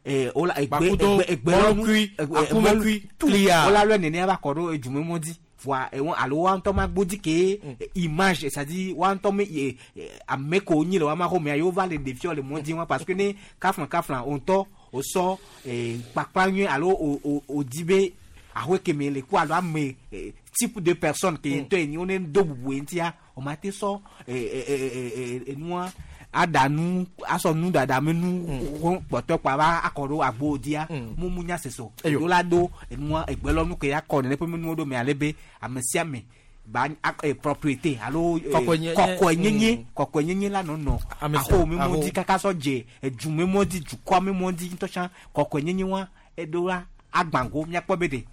ee wola egbe Bakudo, egbe egbe mɔlukui, akumekui, tlia. wola lɔ nene ava kɔ ɖo edume mɔ dzi voa ewɔ alo wa ŋutɔ ma gbodzi ke image c'est à dire wa ŋutɔ me ye ame ko nyi le wa ma xɔmea yewo va le ɖeviwo le mɔ dzi wa parce que ne kafla kafla o ŋutɔ o sɔ ee kpakpa nyuie alo o o o di be ahoe keme le ku alo ame eh, type de personne ke ŋutɔ ye nyi wo ne do bubu ye ŋutia o ma te sɔ ee ee ee enua aɖa nu asɔ nu ɖaɖa me nu kpɔtɔ kpa va akɔ ɖo agbo dzia mu mu nya sese o Eyo. eɖo la do enua egbelɔnu ke ya kɔ nene ƒe nuwo ɖo me ale be ame sia ame ba ak- eh, propriété alo eh, Kɔkɔenyenye. kɔkɔenyenye Mm. kɔkɔenyenye la nɔnɔ Ame sia- aho me aho. mɔ dzi kaka sɔ dze edu me mɔ dzi dukɔa me mɔ dzi ŋutɔ tsã kɔkɔenyenye wa eɖo la agbango míakpɔ be ɖe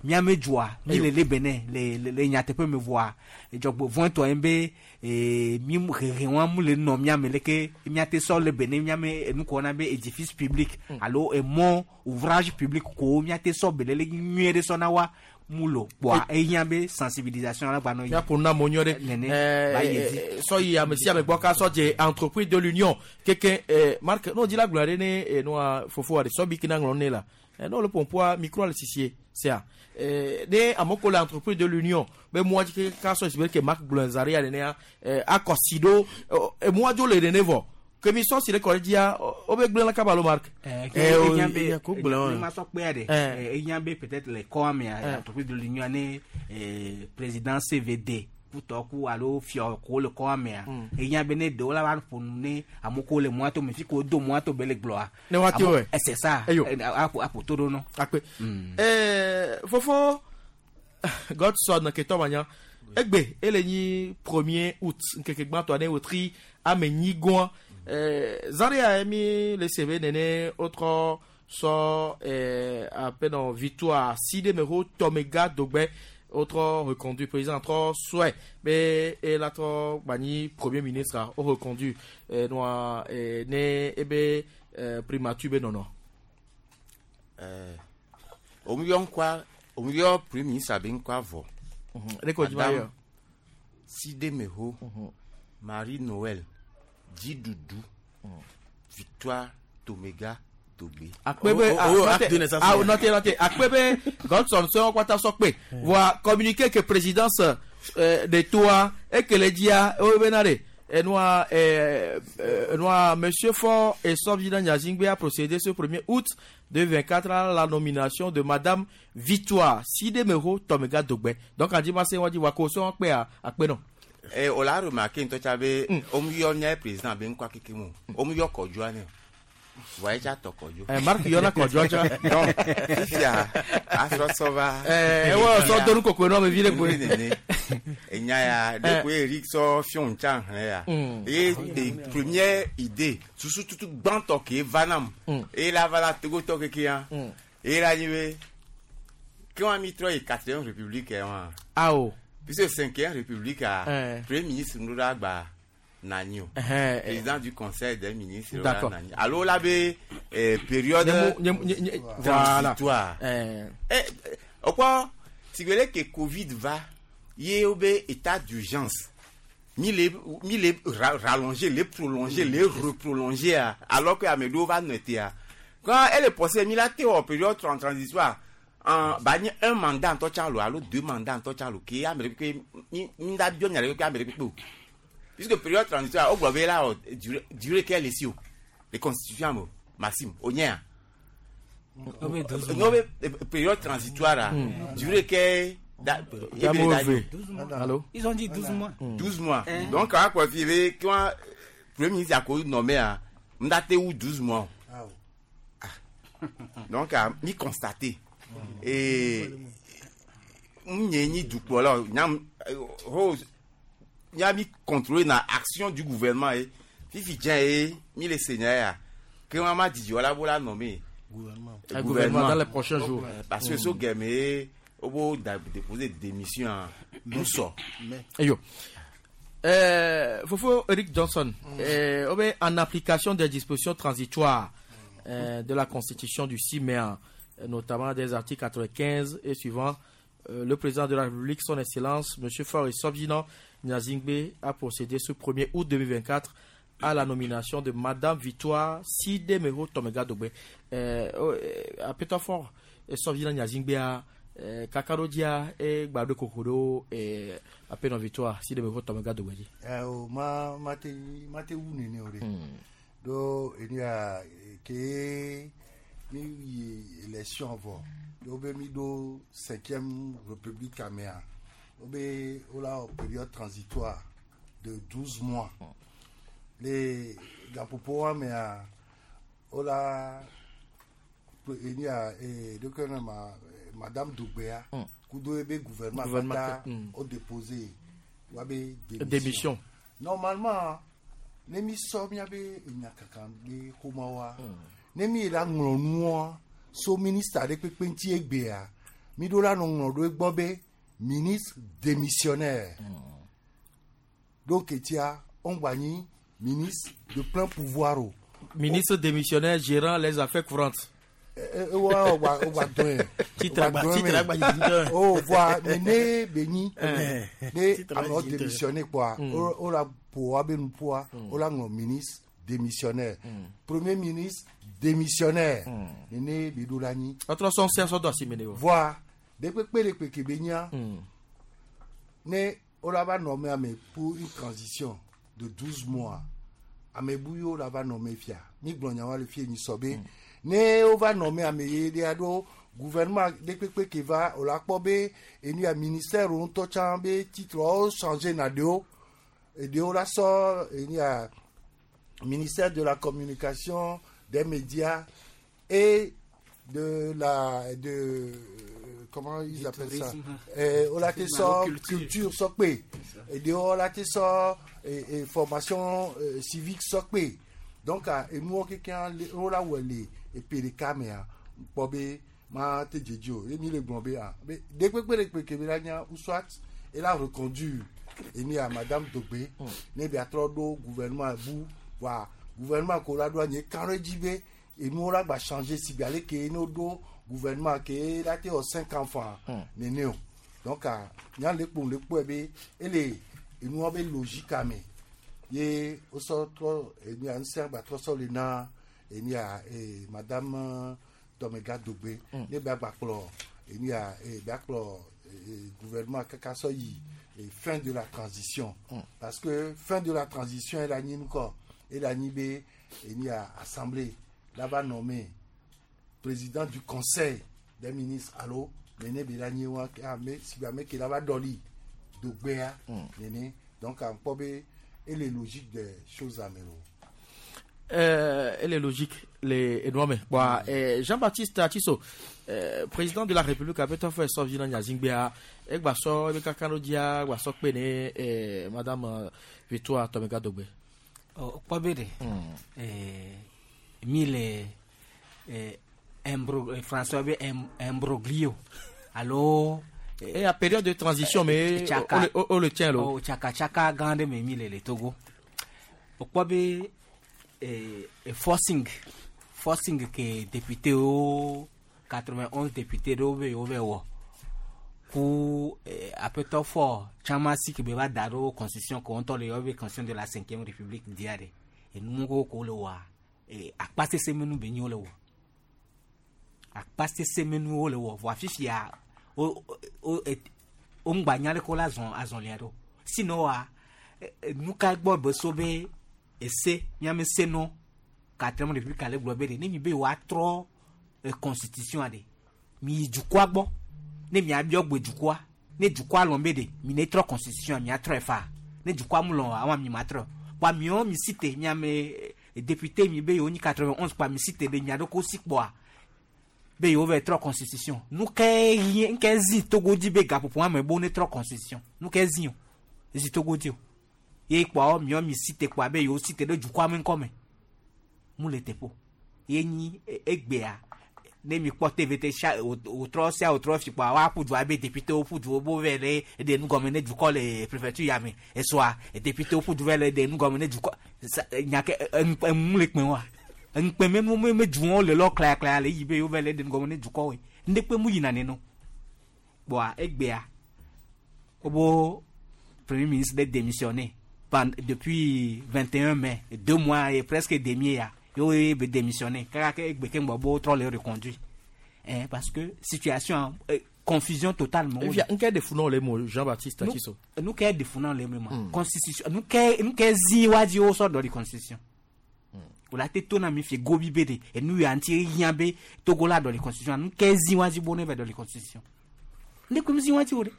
míame dzoa mi le le bene le le le nyateƒe me voa dzɔgbevɔ̃tɔ ye be ee mi mu- hehe wa mu le nɔ míame leke míate sɔ le bene míame enu kɔ na be édifice public alo emɔ ouvrage public ko míate sɔ belele nyuie ɖe sɔ na wa mu lo kpoa ehiã be sensibilisation la gbanɔ yi. miaƒo na amewo nyuie ɖe Nene, Eh, ba yi eh, dzi. eh, sɔ yi ame sia ame gbɔ ka sɔ dze entreprise de l'union keke eh, mark n'o dzi la gblɔ ɖe ne eh, nua fofoa ɖe sɔ bi kina ŋlɔ ne la eh, n'o le pɔnpɔa micro le sisie sea eh, ne amewo ko le entreprise de l'union be mɔa dzi ke ka sɔ si be ke mark gblɔ zaria nenea eh, akɔ si ɖo eh, emɔa dzo le nene vɔ ke mi sɔ si ɖe kɔ ɖe dzia wo be gblẽ la kaba lo mark. Eh, Eh, o- ehiã be ehiã ko gblẽ wa. ne ma sɔ kpea ɖe Eh. eh, ehiã be peut-être le kɔa mea Eh. entreprise de l'union ne eh, président CVD kutɔ ku alo fiɔ ko le kɔa mea ehiã be ne ɖewo la va ƒo nu ne amewo ko le mɔa to me fi ko do mɔa to be le gblɔa. Ne woate Amewo- wɔe. eh, c'est ça. Eyo. Eh, aƒo aƒo to ɖo nɔ. Akpe. Eh, fofo Godson ketɔ manya egbe ele nyi premier août nkeke gbãtɔ ne wotri ame nyi gɔa eh, zaria mi le sebe nene wotrɔ sɔ eh, apenɔ victoire si ɖe me ho tɔmega dogbe wotrɔ reconduit président trɔ sɔe be ela trɔ gbanyi premier ministre wo reconduit eh, nua eh, ne ebe eh, primature be nɔnɔ. Eh, òun yɔ ŋkɔa òun yɔ premier ministre be ŋkɔa vɔ. Ne ko dzi ma yɔ. Sidemeho, Marie Noël, Dzidudu, Victoire Tomega Dogbe. akpe be Oh, oh, acte de naissance. ah note note akpe be Godson sɔ kpata sɔ kpe voa communiqué que présidence euh, de toa ekele dzia ewo bena de enua euh, euh, enua monsieur Faure et Sobjina Nyazingbe a procédé ce premier août deux mille vingt-quatre à la nomination de madame Victoire Sidemero Tomega Dogbe donc adi ma se wɔn di wa ko sɔ kpe a akpe nɔ. Eh, o la remarqué ŋutɔ tsa be òun yɔ mía président be ŋkɔa keke mu o òun yɔ kɔdzoa nɛ voa etsa tɔ kɔdzo. Eh, Marc yɔna kɔdzoa tsa. Donc fifia asrɔsɔ va. Eh, ewɔ sɔ donu kokoe nɔ ame vi ɖe koe. Nene enya ya Eh. ɖeko Eric sɔ fiɔn tsa hlẽ ya. Mm. Eye de première idée susu tutu gbãtɔ ke va nam. Mm. Eye la va la togotɔ keke ya. Mm. Eye la nyi be ke wa mi trɔ yi quatrième république yɛ wa. Awo. Puisque cinquième république a Eh. premier ministre ŋu ɖo agba nani o. Eh, eh. Président du conseil des ministres D'accord. la nani. Alo la be eh, période Nye mu- nye mu- nye- nye- voilà. transitoire. Eh. Eh, okpɔ sigbele ke Covid va ye wo be état d'urgence mi le mi le ra rallonger le prolonger le reprolonger a alors que ame ɖewo va nɔ tea quand elle est possible mi la te wɔ période tran transitoire En ba nye un mandat ŋutɔ tsã lo alo deux mandats ŋutɔ tsã lo ke ame ɖe kpekpe mi mi da biɔ nya ɖe kpekpe ame ɖe kpekpe o. Puisque période transitoire o gblɔ be la wɔ durée durée ke le si o. Le constitution me o Maxime o nye ya. Obe douze mois. No be période transitoire a durée ke da Damo eve. Allô? Ils ont dit douze mois. douze mois. Hein? Donc akpɔ fi be kí wọn premier ministre ako nommé a n da te wu douze mois. Ah, Donc a mi constaté. Et n nye nyi dukplɔla o nyam ho nya mi contrôler na action du gouvernement ye fifi dze ye mi le se nya ya ke wọn ma didi wala bo la nommé. Gouvernement. Un gouvernement dans les prochains jours. Parce que Mm. so gɛmɛ ye o b'o da déposer démission a n sɔ. Eyo. Euh, Fofo Eric Johnson, euh, oh ben, en application des dispositions transitoires euh, de la Constitution du six mai, euh, notamment des articles quatre-vingt-quinze et suivants, euh, le président de la République, son Excellence, M. Faure Essozimna Gnassingbé, a procédé ce premier août deux mille vingt-quatre à la nomination de Madame Victoire Sidémého Tomegah Dogbé. Euh, oh, euh, Apeto Faure Essozimna Gnassingbé a eh, kakarodia e gbado kokoro e apeno Victoire Sidémého Tomegah Dogbé di. Eh, o ma ma te ma te wu nene o de. Do enu ya ke mi yi élection vɔ. Do be mi do cinquième république amea. O be o la wɔ période transitoire de douze mois. Le gaƒoƒo wa mea o la enu ya eh, do ke ne ma Madame Dogbéa kudo ebe gouvernement Gouvernement kata ke- mm. o déposé wa be démission. Démission. Normalement ne mi sɔ miabe nyakaka ɖe xɔmawoa ne mi la ŋlɔ nua so ministre aɖe kpekpe ŋuti egbea mi ɖo la nɔ ŋlɔ ɖo egbɔ be ministre démissionnaire donc etia ŋgba nyi ministre de plein pouvoir o. Ministre démissionnaire gérant les affaires courantes. ewa ogba ogba dɔn Titre agba- titre agba dzi dɔn. o voa nene be nyi Eh. ne Titre amewo agba dzi dɔn. démissionné kpoa Mm. o o la ƒo woabe nuƒoa o la ŋlɔ ministre démissionnaire premier ministre démissionnaire nene be ɖo la nyi. Atrɔ sɔn se sɔ do asi me ne o. Voa ɖe kpekpe ɖe kpeke be nyia ne o la va nɔme ame pour une transition de douze mois ame bu yiwo la va nɔme fia mi gblɔ nyawa le fie nyi sɔ be ne wova nɔme ame ye ɖe aɖo gouvernement ɖe kpekpe ke va o la kpɔ be enu ya ministère wo ŋutɔ tsã be titre wo changer na ɖewo eɖewo la sɔ enu ya ministère de la communication des médias et de la de euh, comment ils Du appellent ça tourisme. eh, o la te Tourisme, sɔ culture. culture sɔkpe eɖewo la te sɔ eh, eh, formation eh, civique sɔkpe donc ah, enuwo kekeŋ le wo la wɔ le epe ɖeka mea kpɔ be ma te dzedze o ye mi le gblɔ be ah be ɖe kpekpe ɖe kpeke be la nya ou soit ela reconduire enu ya madame Dogbé ne bia trɔ ɖo gouvernement bu wa gouvernement ko la ɖo anyi kan ɖe dzi be enuwo la gba changer si be ale ke ne woɖo gouvernement ke la te wɔ cinq ans fan nene o donc ah, nya le kpo le kpɔe be ele enuwo be logique ame ye wosɔ trɔ enu ya ŋusẽ gba trɔ sɔ le na enu ya eh, madame euh, Tomegah Dogbé ne bia gba kplɔ enu ya eh, bia kplɔ eh, gouvernement kaka sɔ yi eh, fin de la transition parce que fin de la transition ela nyi nukɔ ela nyi be enu ya assemblée la va nommer président du conseil des ministres alo nene be la nyi wa ame si be ame ke la va dɔli Dogbéa nene donc à kpɔ be ele logique des choses ame o. Euh, elle est logique, les Edouard. Bon, euh, Jean-Baptiste Atiso, euh, président de la République, a peut-être fait son vilain Gnassingbé, et Gbasso, et Kakanodia, Gbasso Pene, et Madame euh, Victoire Tomegah Dogbé. Oh, kpɔ be ɖe Eh, mi le eh, imbro- eh, français be im- imbroglio alo Et la période de transition, mais tsaka on, le- on- on le tient là. oh, tsaka tsaka gã ɖe me mi le le Togo o kpɔ be eh, eh, forcing forcing ke député wo quatre-vingt-onze député ɖewo be yewo be wɔ ku eh, aƒetɔ fɔ tsamasi ke be va da ɖo constitution ko ŋutɔ le yɔ be constitution de la cinquième république dia ɖe enuwo ko le wɔa eh, akpa sese me nu be nyi wo le wɔ. Akpa sese menuwo le wɔ vɔa fifia o o o ŋgba nya le ko la zɔn azɔlia ɖo. Sinon wa nu ka gbɔ be so be ese miame se nɔ quatrième république ale gblɔ be de ne mi be woatrɔ constitution aɖe mi yi dukɔa gbɔ ne miabiɔ gbe dukɔa ne dukɔa lɔn be de mi ne trɔ constitution miatrɔe fa ne dukɔa mu lɔn awa mi ma trɔ kpa miɔ mi si te miame député mi be yewo nyi quatre-vingt-onze kpa mi si te de mia ɖo ko si kpɔa be yewo va trɔ constitution nu ke yie nke zi Togo dzi be gaƒoƒo ame bo ne trɔ constitution nu ke zi o zi Togo dzi o ye kpɔ miɔ mi si te kpɔa be yewo si te ɖe dukɔa me ŋkɔme mu le teƒo ye nyi egbea ne mi kpɔ T V T sia wòtrɔ sia wòtrɔ fi kpɔa woaƒu du abe député woƒu du wo vɛ le ɖe nu gɔme ne dukɔ le préfecture ya me esɔa député woƒu du vɛ le ɖe nu gɔme ne dukɔ nya ke emu le kpẽ wa ŋkpẽ me me me du wɔn le lɔ klayaklaya le yi be yewo vɛ le ɖe nu gɔme ne dukɔ woe ndekpe mu yina neno kpɔa egbea wobo premier ministre de démissionné depuis vingt et un mai deux mois et presque demi ya yo be démissionné kaka ke egbe ke ŋgbɔ bo trɔ le reconduit hein parce que situation euh, confusion totale mo. Efia nke de funu le mo Jean-Baptiste Akiso. Nu ke de funu le mo constitution nu ke nu ke zi wa di o so do di constitution. O la te to na mi fi gobi be de e nu ya nti yan be Togo la do di constitution nu ke zi wa di bo ne ve do di constitution. Ne kum zi wa di o de.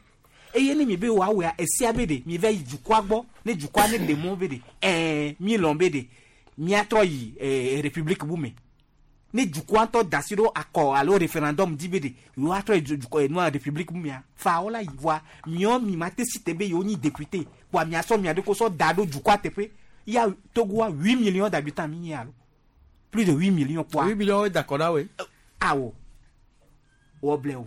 Eye ne mi be wa we e sia be de mi ve yi dukɔa gbɔ ne dukɔa ne de mo be de eh mi lɔn be de miatrɔ yi eh, république bu me ne dukɔa ŋutɔ da si ɖo akɔ alo référendum di be de yewoatrɔ yi dukɔ enua république bu mea fa wola yi voa miɔ mi ma te si te be yewo nyi député kpoa miasɔ mia ɖo ko sɔ da ɖo dukɔa teƒe ya Togoa huit millions d'habitants mi nyi alo plus de huit millions kpoa. huit millions d'accord na we. Awɔ wɔ o.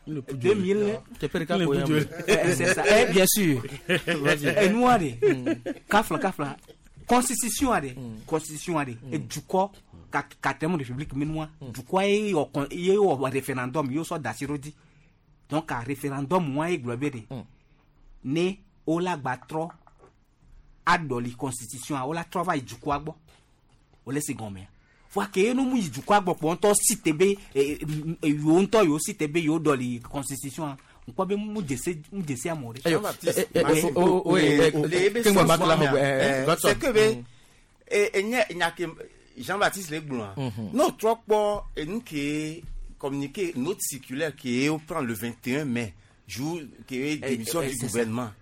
deux mille c'est ça eh, bien sûr et nous allez kafla kafla constitution allez constitution allez et du coup quatrième république menois du coup il y a un référendum il y a ça d'asirodi donc un référendum moi et globé né ola batro adoli constitution ola travail du coup agbo ole se gomé voa ke no mu yi dukɔ agbɔ kpɔ ŋutɔ si te be yewo ŋutɔ yewo si te be yewo dɔli constitution ŋkpɔ be mu dese mu dese amewo ɖe. C'est que be enye nya ke Jean-Baptiste le gblɔa n'o trɔ kpɔ enu ke communiqué note circulaire ke o prend le vingt et un mai jour ke démission du gouvernement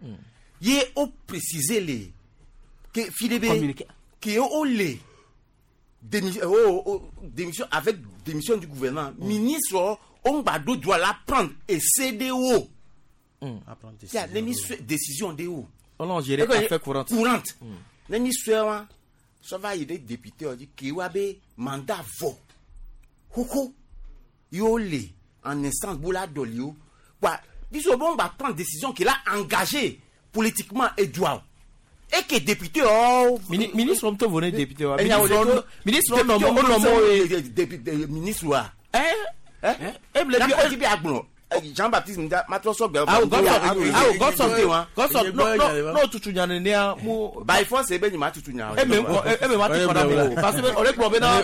ye o préciser le ke fi de be ke o le démission, oh, oh, démission avec démission du gouvernement. Mm. Ministre, on va doit la prendre et C D O. Mm. Décision, décision de où? On a géré affaire courante. Courante. Les ministres, ça va y des députés on dit qu'il y a mandat vo. Hoko. Yo le en instance boula dolio. Quoi? Disons bon va prendre décision qu'il a engagé politiquement et doit. Et que député oh ministre on te venait député ministre ministre non non non ministre wa eh eh eh Jean-Baptiste matro so gbe ah Godson Godson non non non tutu nya ne a mu by force e be ni ma tutu nya e me e me ma ti kona mo parce que on le gblɔ bena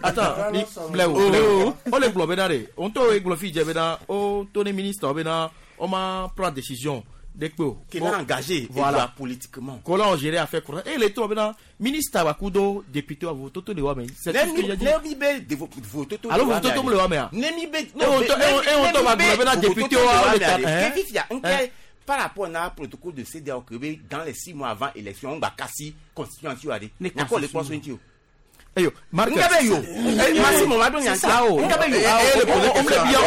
attends mi blewo on le gblɔ bena de on to e gblɔ fi je bena o to ne ministre bena on ma prendre décision. Qu'il a engagé, voilà, politiquement. Qu'on a géré affaire courante. Et les trois, maintenant, ministre Abakudo, député, vous tout le mais c'est tout ce que j'ai dit. Alors, vous tout le mais. Et on tombe à député, par rapport à un protocole de C D A O, dans les six mois avant l'élection, on va casser constitution. D'accord, les points. Ayo, Marc. Ngabe yo. Merci mon madon yansa. Ngabe yo. On me bien.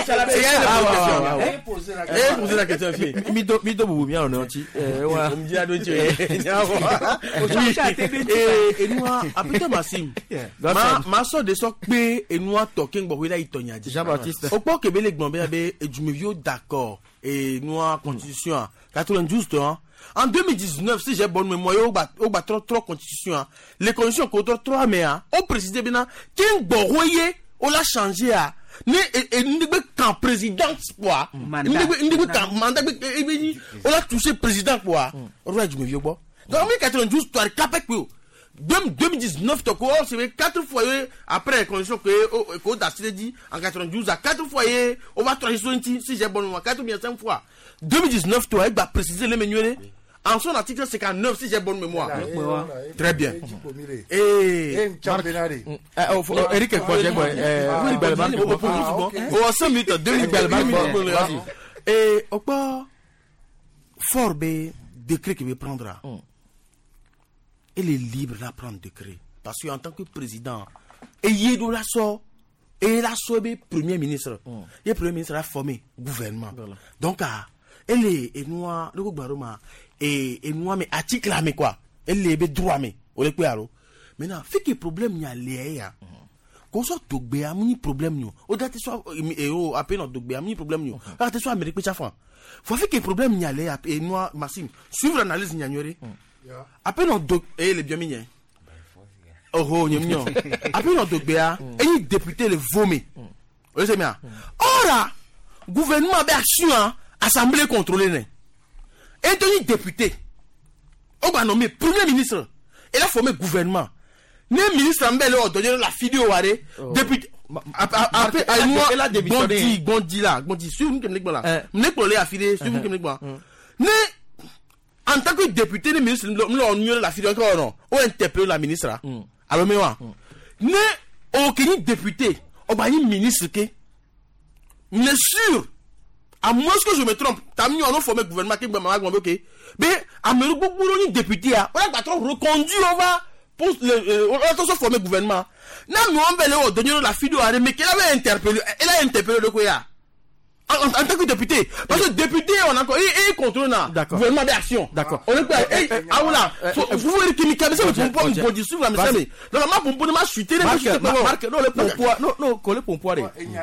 Eh poser la question fille. Mi do mi do bubu mi on anti. Eh ouais. On me dit à do tu. Eh et nous apete Maxime. Ma ma so de so pe et nous talking bo la itonya di. Jean-Baptiste. O po kebe le gbon be be edumevio d'accord et nous constitution quatre-vingt-douze hein. En deux mille dix-neuf, si j'ai bonne mémoire, il y a trois, trois constitutions. Les constitutions contre trois, mais on précisait bien, qu'un boroye, on l'a changé à. Ne, et, et, quand président, quoi. Mandat, on l'a touché président, quoi. On l'a dit, mais vieux, bon. Donc, en mille quatre-vingt-douze, tu as capé, deux mille dix-neuf tɔ ko c'est quatre fois après les conditions que que Dasile dit en quatre-vingt-douze à quatre fois on va transition si j'ai bon mémoire quatre ou bien cinq fois deux mille dix-neuf toi il va préciser les menus en son article cinquante-neuf si j'ai bonne mémoire. Très bien. Et Eric oh cinq minutes deux minutes. Et au fort B décret qu'il veut prendre. Il est libre de prendre décret. Parce qu'en tant que président, et il la sort, et la sort premier ministre. Et le premier ministre a formé gouvernement. Donc, elle est, et nous, le gouvernement, et nous, mais article là, mais quoi? Elle est droit, mais, on est quoi, alors? Maintenant, fait que problème, il y a les, qu'on soit Dogbe, a un problème, nous. Au date, soit, et au, après, notre Dogbe, a un problème, nous. Car tu sois Amérique, mais faut faire que problème, il y a les, et nous, Maxime, suivre l'analyse, il y a après notre eh les bien mignons. Oh oh mignon. Après notre Dogbe, et député le vomi. Vous savez bien. Ora gouvernement a action assemblée contrôlée né. Et tenu député. On va nommer premier ministre. Et là formé gouvernement. Né ministre en bel donner la vidéo waré député après moi Gondi Gondi là Gondi suivre nous que là. Né pour les affiler suivre nous que là. Né en tant que député, les ministres, nous avons la fille encore non. On interpelle la ministre. Alors, mais moi, ne aucun député, on va ministre que, mais sûr, à moins que je me trompe, t'as mis on a formé gouvernement qui m'a ok, mais à me député, on a pas trop reconduit, on va pour le, on a tous formé gouvernement. Non, nous on va donner la fille mais qu'elle avait interpellé, elle a interpellé le quoi? En, en, en tant que député, parce que député, on a encore, il, il contrôle là. D'accord. Gouvernement d'action. D'accord. On est quoi? Ah voilà. Vous voulez que Mika, mais ça, vous pouvez me dissoudre la mais donc, ma pompe, ma chuté, Marc, Marc, non, le pompoir, non, non, le pompoir.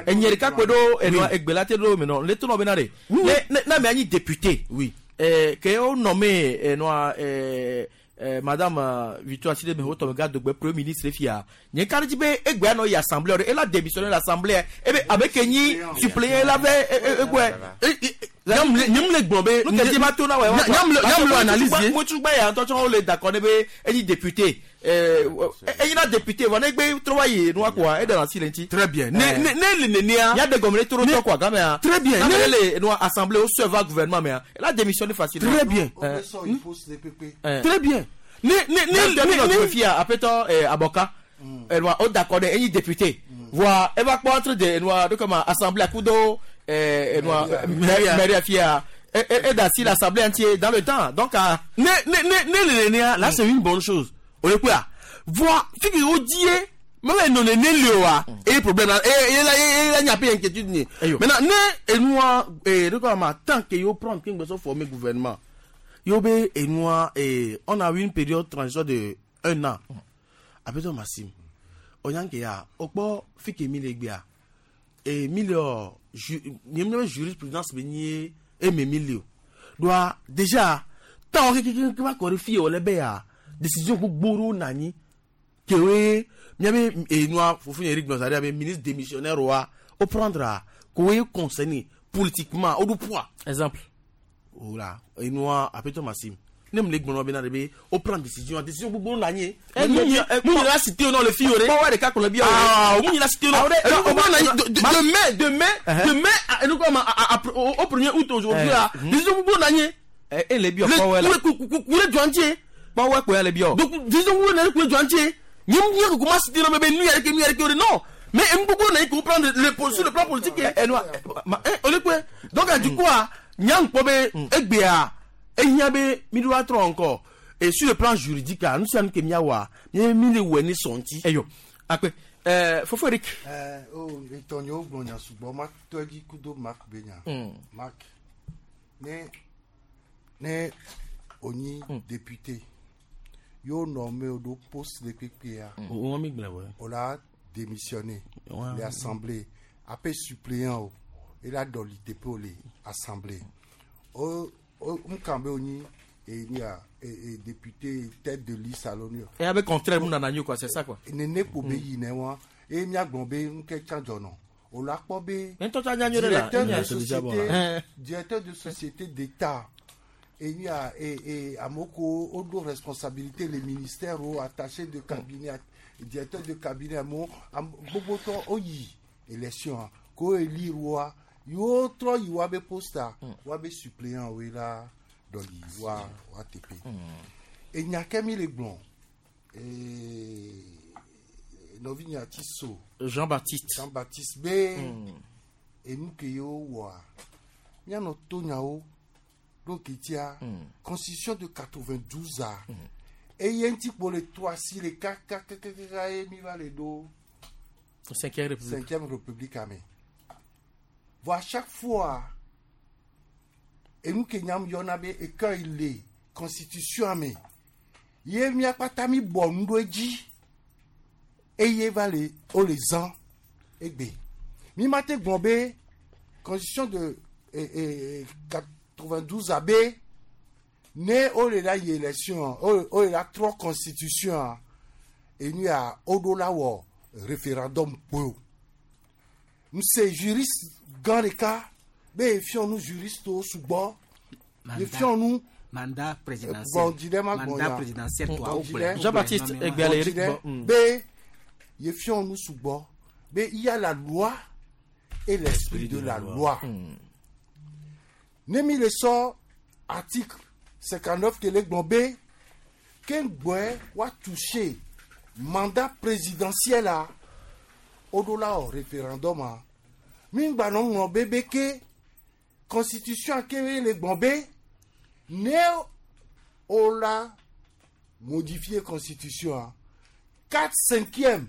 Et n'y a qu'à quoi, et non, et belate, mais non, les tournois, benare. Non, mais un député. Oui. Que on nommé, non, madame Victoire Sidé Meho garde de premier ministre fia. N'y a dit be egbe no assemblée elle a démissionné l'assemblée et ben avec ni suppléant elle avait egbe. Nyam le gbon be nous dit ma tona ouais. Nyam le nyam le analyser. Moi tu gba ya ntotso on le d'accord be eni député. Euh eni na député on egbe travailler nous quoi et dans la silence. Très bien. Ne ne ne ne ya de gomre trop to quoi gamin. Très bien. Ne le nous assemblée au serveur gouvernement mais elle a démissionné facilement. Très bien. Très bien. Ne ne ne ne fia après toi aboka elle va au d'accord eni député. Voir elle va contre de nous de comment assemblée à kudo et moi Maria Fia et et l'assemblée entière dans le temps donc ne ne ne ne là c'est une bonne chose on est quoi voir figure dit même non ne le et problème là et là et là il n'y a pas d'inquiétude ni maintenant ne et moi et de quoi tant que yo prendre qu'il me former gouvernement yo be et moi et on a eu une période de transition de un an après toi Maxime on y a que ya okpo fike mi le gbia et mille ju jurisprudence benye et mes mille doit déjà tant que quelqu'un va corriger au lebe ya décision pour gboro nani que oui miame et nous faut Eric Gonzalez avec ministre démissionnaire roi au prendra quoi concerné politiquement au poids exemple voilà et nous après toi Maxime ne me le bena de au prendre décision décision pour bon nani nous nous la cité non le fioré pas ouais de cas qu'on bien ah nous la cité non de mai de mai de mai nous comme au premier août aujourd'hui là décision pour bon nani et les bio pas ouais là coulé douanier pas ouais quoi les bio donc décision pour nani coulé douanier ni ni comment cité non mais nous avec nous avec non mais beaucoup nani comprendre le sur le plan politique et nous on est quoi donc du coup nyang pobe egbea et il y avait mille trois encore et sur le plan juridique nous sommes que miawa mille oueni sonti eh yo après euh Fofo Eric euh oh Antonio Bonya subo ma togi kudo Marc Benya Marc né né oni député yo nommé au poste de P P A on mi gbla ouais on a démissionné l'assemblée après suppléant il a donné pour l'assemblée oh Mkambe oni et ni a député tête de liste à l'ONU. Et avec contraire moun nananyo quoi, c'est ça quoi. Nene ko be yi ne wa e mi agbon be nke chanjono. O la po be. Directeur de société, directeur de société d'État. enya e e amoko odo responsabilité les ministères o attaché de cabinet directeur de cabinet amo gbogbo tɔ oyi élection ko élire wa yo trɔ yi wa be poste wa be suppléant we la dɔli wa wa tepe enya ke mi le gblɔ ee nɔvi nyati so Jean-Baptiste Jean-Baptiste be enu ke yewo wɔa mianɔ to nyawo ɖo ketia constitution de quatre-vingt-douze a eye ŋuti kpo le to asi le kakakakaka ye mi va le ɖo cinquième république cinquième république ame vɔ à chaque fois enu ke nyam yɔna be écueil le constitution ame ye mia kpata mi bɔ nu ɖo edzi eye va le wo le zã egbe mi ma te gblɔ be constitution de eh, eh, quatre-vingt-douze a be ne wo le la yi élection wo wo le la trɔ constitution a enu ya wo ɖo la wɔ référendum kpoe o nse juriste gã ɖeka be efiɔ nu juriste wo sugbɔ efiɔ nu mandat présidentiel gbɔndzi ɖe ma gbɔn mandat ya présidentiel toi Gbɔndzi ɖe. Jean-Baptiste Egbeale Gbɔndzi ɖe. Mm. be yefiɔ nu sugbɔ be il y a la loi et l'esprit de la loi ne mi le sɔ article cinquante-neuf ke le gblɔ be ke ŋgbɔe wa toucher mandat présidentiel a wo ɖo la wɔ référendum a mi ŋgba nɔ ŋlɔ be be ke constitution ke le gblɔ be ne wo la modifier constitution a quatre cinquièmes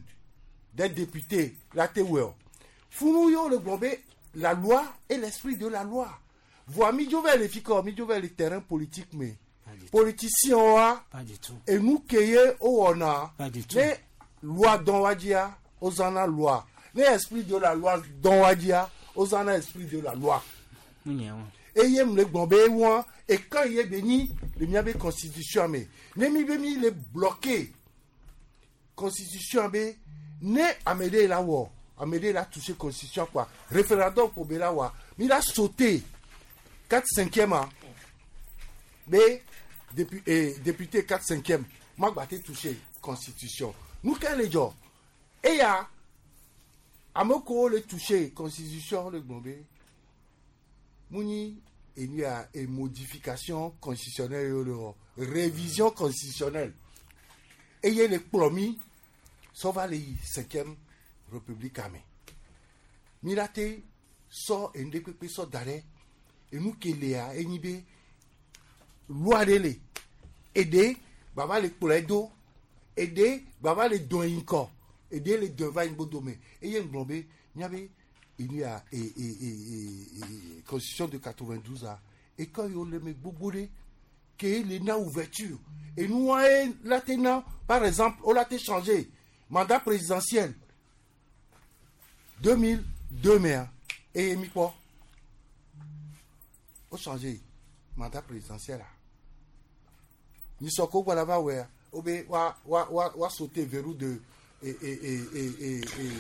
des députés la te wɔ o funu ye wo le gblɔ be la loi et l'esprit de la loi voa mi dzo va le fi ka mi dzo va le terrain politique me politicien wa Pas du tout. enu ke ye wo wɔna Pas du tout. ne loi dɔn wa dzia wo zãna loi ne esprit de la loi dɔn wa dzia wo zãna esprit de la loi eye mu le gblɔ be wɔn eke ye be nyi le miabe constitution me ne mi be mi le bloqué constitution be ne ame ɖe la wɔ ame ɖe la touché constitution quoi référendum ko be la wa mi la sauté quatre cinquième a be dépu eh, député quatre cinquième ma gba te touché constitution nu ke le dzɔ eya ame kewo le touché constitution le gblɔ be mu nyi enu ya e modification constitutionnelle ye le wɔ révision constitutionnelle eye le kplɔ mi sɔ va le yi cinquième république ame mi la te sɔ enu ɖe kpekpe sɔ da ɖe enu ke lea enyi be loi ɖe le eɖe gbava le kplɔe do eɖe gbava le dɔn yi ŋkɔ eɖe le dɔn va yi ŋgbodome eye ŋgblɔ be miabe enu ya e e e e e constitution de quatre-vingt-douze a école yiwo le me gbogbo ɖe ke le na ouverture enua ye la te na par exemple wo la te changer mandat présidentiel deux mille deux mea eye mi kpɔ wo changer mandat présidentiel a nyisɔ ko gbɔna va wɔa wo be wa wa wa wa sauter verrou de e e e e e e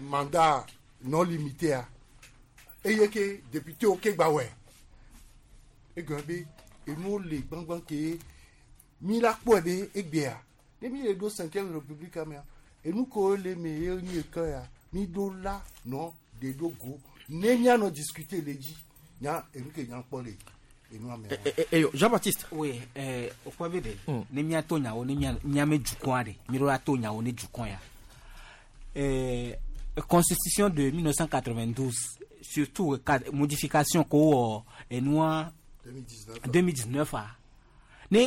mandat non limité a eye ke député wo ke gba wɔe egɔme be enuwo le gbãgbã ke mi la kpɔe be egbea ne mi le ɖo cinquième république mea enu kewo le me ye nyi eke ya mi ɖo la nɔ de ɖo go ne mianɔ discuter le dzi nya enu ke nya kpɔ le enua mea. eyo Jean-Baptiste. Oui, eh, okpɔ be ɖe ne miato nyawo ne mia miame dukɔa ɖe mi ɖo la to nyawo ne dukɔ ya eh, constitution de mille neuf cent quatre-vingt-douze surtout ka modification ko wɔ enua deux mille dix-neuf. deux mille dix-neuf a ne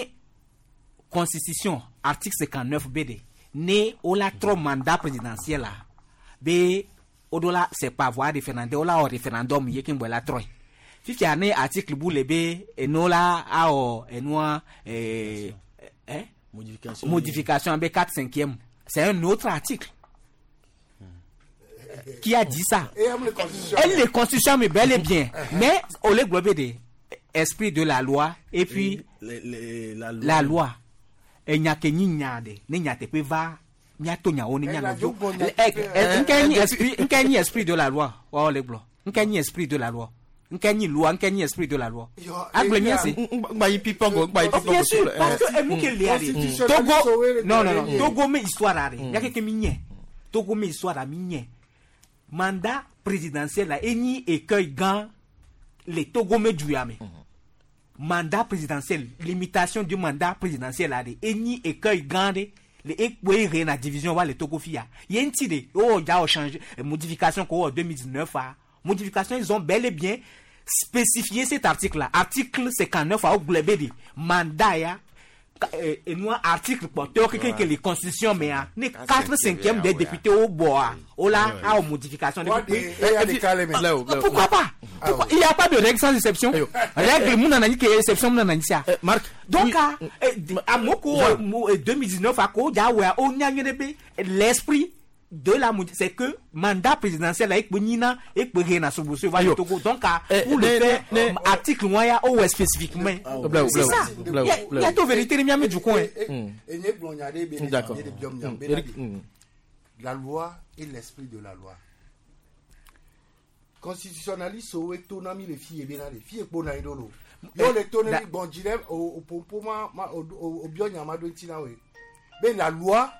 constitution article cinquante-neuf be de ne wo la trɔ mandat présidentiel a be wo ɖo la c'est par voie référendaire wo la wɔ référendum ye keŋ gbɔ la trɔe fifia ne article bu le be enu la awɔ enua eh, eh, Modification. Modification be quatre cinquième, c'est un autre article qui a dit ça. Et elle, constitution. Elle les constitution mais bel et bien, mais au le globe de esprit de la loi et puis Les- les- la loi. La loi enya ke nyi nya de ne nya teƒe va miato nyawo ne mianɔ dzo nke nyi esprit nke nyi esprit de la loi wɔwɔ le gblɔ nke nyi esprit de la loi. Nke nyi loi, nke nyi esprit de la loi. Agble mia se. Ngba yi pipongo, ngba yi pipongo. Bien sûr, parce que emu ke le ale. Togo, non non non, Togo me histoire are. Ya ke ke mi nye. Togo me histoire a mi nye. Mandat présidentiel la enyi écueil gan le Togo me djuyame. Mandat présidentiel, limitation du mandat présidentiel are. Enyi écueil gan de le ekwe na division wa le Togo fia. Yenti de oh ja o changer modification ko deux mille dix-neuf a. Modification, ils ont bel et bien spécifié cet article-là. Article cinquante-neuf à Oglebedi. Mandat, ya. Et nous, article porteur, que les constitutions, mais les quatre cinquièmes des députés au bois. Oh là, à modification. Pourquoi pas? Il n'y a pas de règle sans exception. Règle, mon anani, qui est exception, mon anani, ça. Marc. Donc, à Moko, deux mille dix-neuf, à Ko, l'esprit de la c'est que mandat présidentiel avec Bonina et Berena Togo. Donc pour le faire article moyen ou spécifiquement. C'est ça. Il y a toute vérité les du coin. D'accord. La loi et l'esprit de la loi. Constitutionnaliste o etonami les filles bena les filles bona idolo. Yo le tonami bon dilem au pompo ma au bionya ma do ntina we. Mais la loi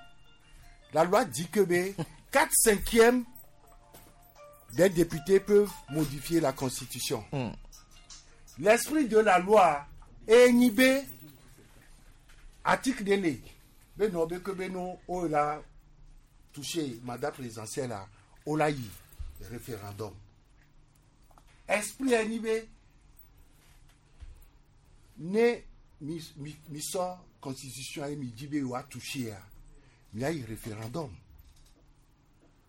La loi dit que ben, quatre cinquièmes des députés peuvent modifier la Constitution. Mm. L'esprit de la loi est inhibé. Article de ben non, ben que ben non, on a touché mandat présidentiel là, on a eu référendum. Esprit inhibé. Ne mi mi mi sort Constitution et mi dit ben on a touché. Il y a eu référendum.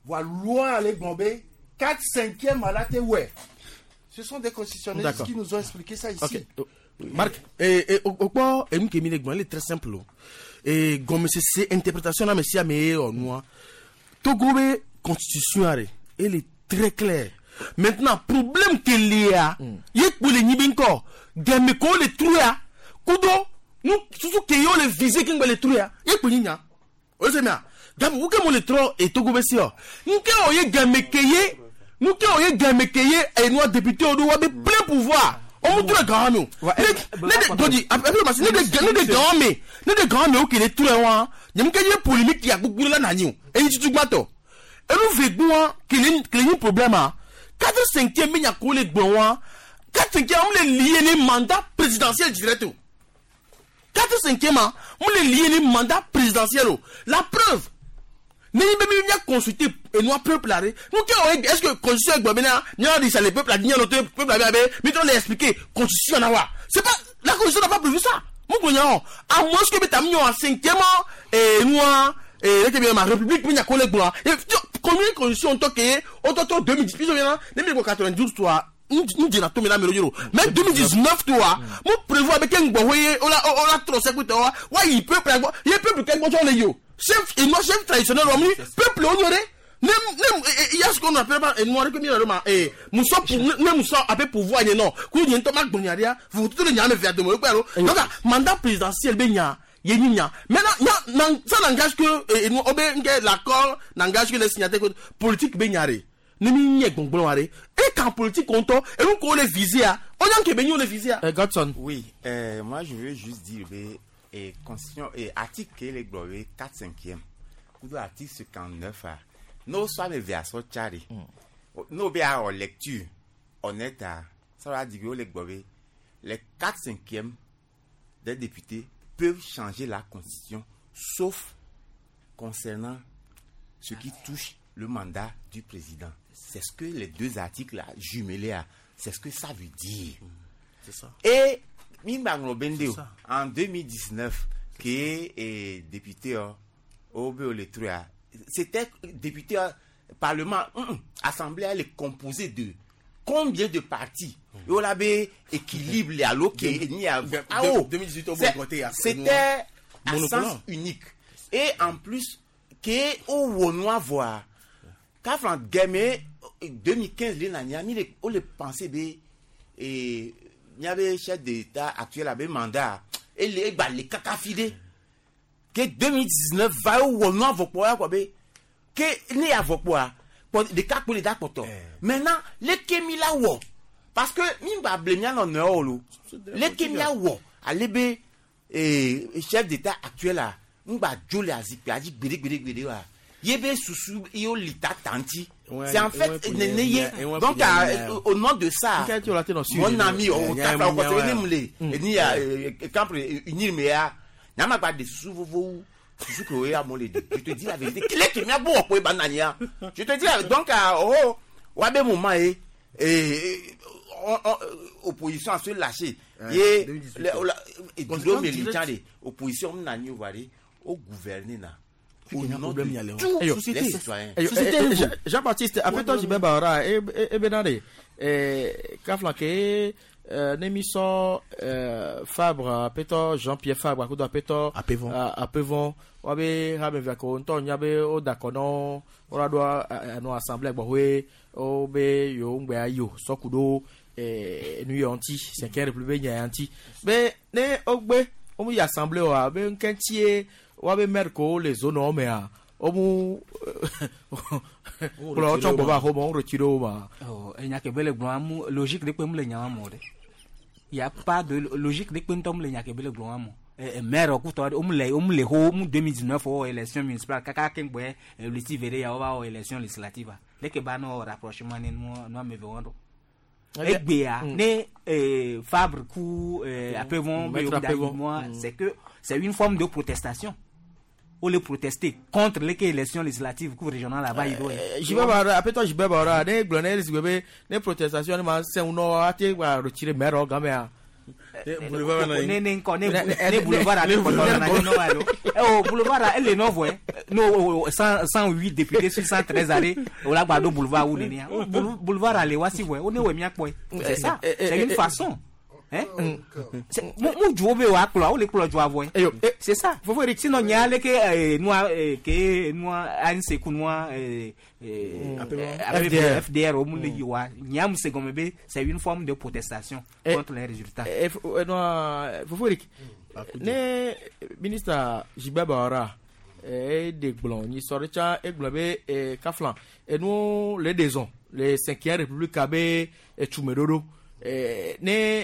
Voilà, loi allait bomber, quatre cinquièmes à la T W. Ce sont des constitutionnalistes qui nous ont expliqué ça ici. Okay. Marc, et et au quoi et nous qui est très simple. Et comme c'est interprétation là monsieur mais noir. Togo constitution elle est très claire. Maintenant problème qu'il y a, il y a pour les nibinko, des méco les trouya, kudo nous surtout que yo les viser qui les trouya, il y a pour nya. Oye mia, gamu uke mo le tro et Togo besio. Nke oye gamekeye, nke oye gamekeye et nous député odo wa be plein pouvoir. On montre le grand nous. Ne de après parce ne de ne de grand mais ne de grand mais ok les tout wa. Nyam ke ye polémique ya gbogbo la na ni o. E yi tutu gbato. E nous vegbon ki le problème a. quatre cinquième mais nya ko le gbon wa. quatre cinquième on le lié les mandats présidentiel direct. quatre cinquième on le lié les mandats présidentiel. La preuve ne même bien consulter et nous peuple là nous est-ce que constitution est maintenant nous dit ça le peuple a dit notre peuple a mais on l'a expliqué constitution na wa c'est pas la constitution n'a pas prévu ça mon cognon à moins que t'as mis en cinquième et nous et là ma république mais y a collègue moi combien constitution toqué auto deux mille dix mille quatre-vingt-douze toi nous disons tout mais deux mille dix-neuf toi mon prévoit avec un bon on a on a trop c'est toi ouais il peut il peut quelque chose yo chef et moi chef traditionnel peuple honoré même même il y a ce qu'on appelle pas noir que mi ma eh muso même muso appelle pouvoir non ku ni to mak bonyaria vous tout le nyame via de mo donc mandat présidentiel be nya ye nya maintenant ça n'engage que et nous l'accord n'engage que les signataires politique be nyare ne mi nye gbongbon are et quand politique compte et nous qu'on les viser on a que be les viser. Godson. Oui, euh, moi je veux juste dire et constitution et article les gloire quatre cinquième ou article cinquante-neuf a no soit me verso chari no be à lecture honnête ça va dire les gloire les quatre cinquièmes des députés peuvent changer la constitution sauf concernant ce qui touche le mandat du président. C'est ce que les deux articles là jumelés à, c'est ce que ça veut dire. C'est ça. Et en deux mille dix-neuf, qui est député au c'était député parlement, assemblée, elle est composée de combien de partis? Et on avait équilibre les alloqués. deux mille dix-huit, c'était à sens unique. Et en plus, qui au Wonois voir, quand deux mille quinze, les on le pensait et il y avait chef d'État actuel avait mandat et les bah les cacafidé que deux mille dix-neuf va où on a voté quoi que né a voté quoi des cas pour les d'accord maintenant les kemila wo Parce que mi gba ble mia nɔ nɔewo lo. Leke mia wɔ ale be eh, chef d'état actuel la ŋgba dzo le azikpia dzi gbeɖegbeɖegbeɖe wa. Ye be susu ye wo li ta ta ŋuti. C'est en fait nene ye donc à, au nom de ça mon ami o ta fa o kɔsɛbɛ ne mu le eni ya camp unir me ya nyama gba de susu vovowo susu ke o ye amewo le de. Je te dis la vérité kile ke mia gbɔ wɔ ko eba nani ya. Je te dis la donc oh wa be moment ye eh opposition a se lâcher ye le militant de opposition nani o va de o gouverner na. Au nom de tous les citoyens. Jean-Baptiste, après toi, Jibin Bahora, et Benade, Kaflanke, Némisson Fabre, après toi, Jean-Pierre Fabre, après toi, Apevon, Wabe, Rabevako, Nton, Yabe, Odakono, Oradoa, no assemblée, Bohwe, Obe, Yo, Ngbe, Sokudo, New York, Cinquième République, Nyanti. Mais, ne, Ogbe, Omu assemblée, Obe, Nkentier, wabe maire ko les zones o mea omu kplɔ tsɔ gbɔ va xɔ ma retire wo ma. Oh enya ke bele gblɔ amu logique de kpe mu le nya wa mo de y a pas de logique de kpe ŋutɔ mu le nya ke bele gblɔ wa mo maire kutɔ omu le omu le xɔ mu deux mille dix-neuf wɔ élection municipale kaka ke ŋgbɛ luti vere ya wo va wɔ élection législative leke ba nɔ rapprochement ne nu nu ame eve wɔn do. Egbea ne Fabre ku Apevon moi c'est que c'est une forme de protestation. On les protester contre les élections législatives cour régionale là-bas il doit. Jibe bara après toi jibe bara ne glone les ne protestation ne ma c'est uno ate wa retirer maire gamea. Boulevard ne ne ne boulevard ne boulevard oh boulevard elle est nouveau no cent huit députés sur cent treize arrêts au la gbado boulevard ou ne boulevard aller wasi ouais on est ouais mia quoi c'est ça c'est une façon. Hein? Mu ju obe wa klo, o le klo ju avo. C'est ça. Sinon nya le ke noa ke noa A N C ku noa F D R o mu le yiwa. Nya mu se gomebe, c'est une forme de protestation contre les résultats. Noa Fofo Eric. Ne ministre Jibe Bahora e de gblon ni soricha e gblon be e kaflan e nous les deux ans les cinquième république abe e tumedodo. Ne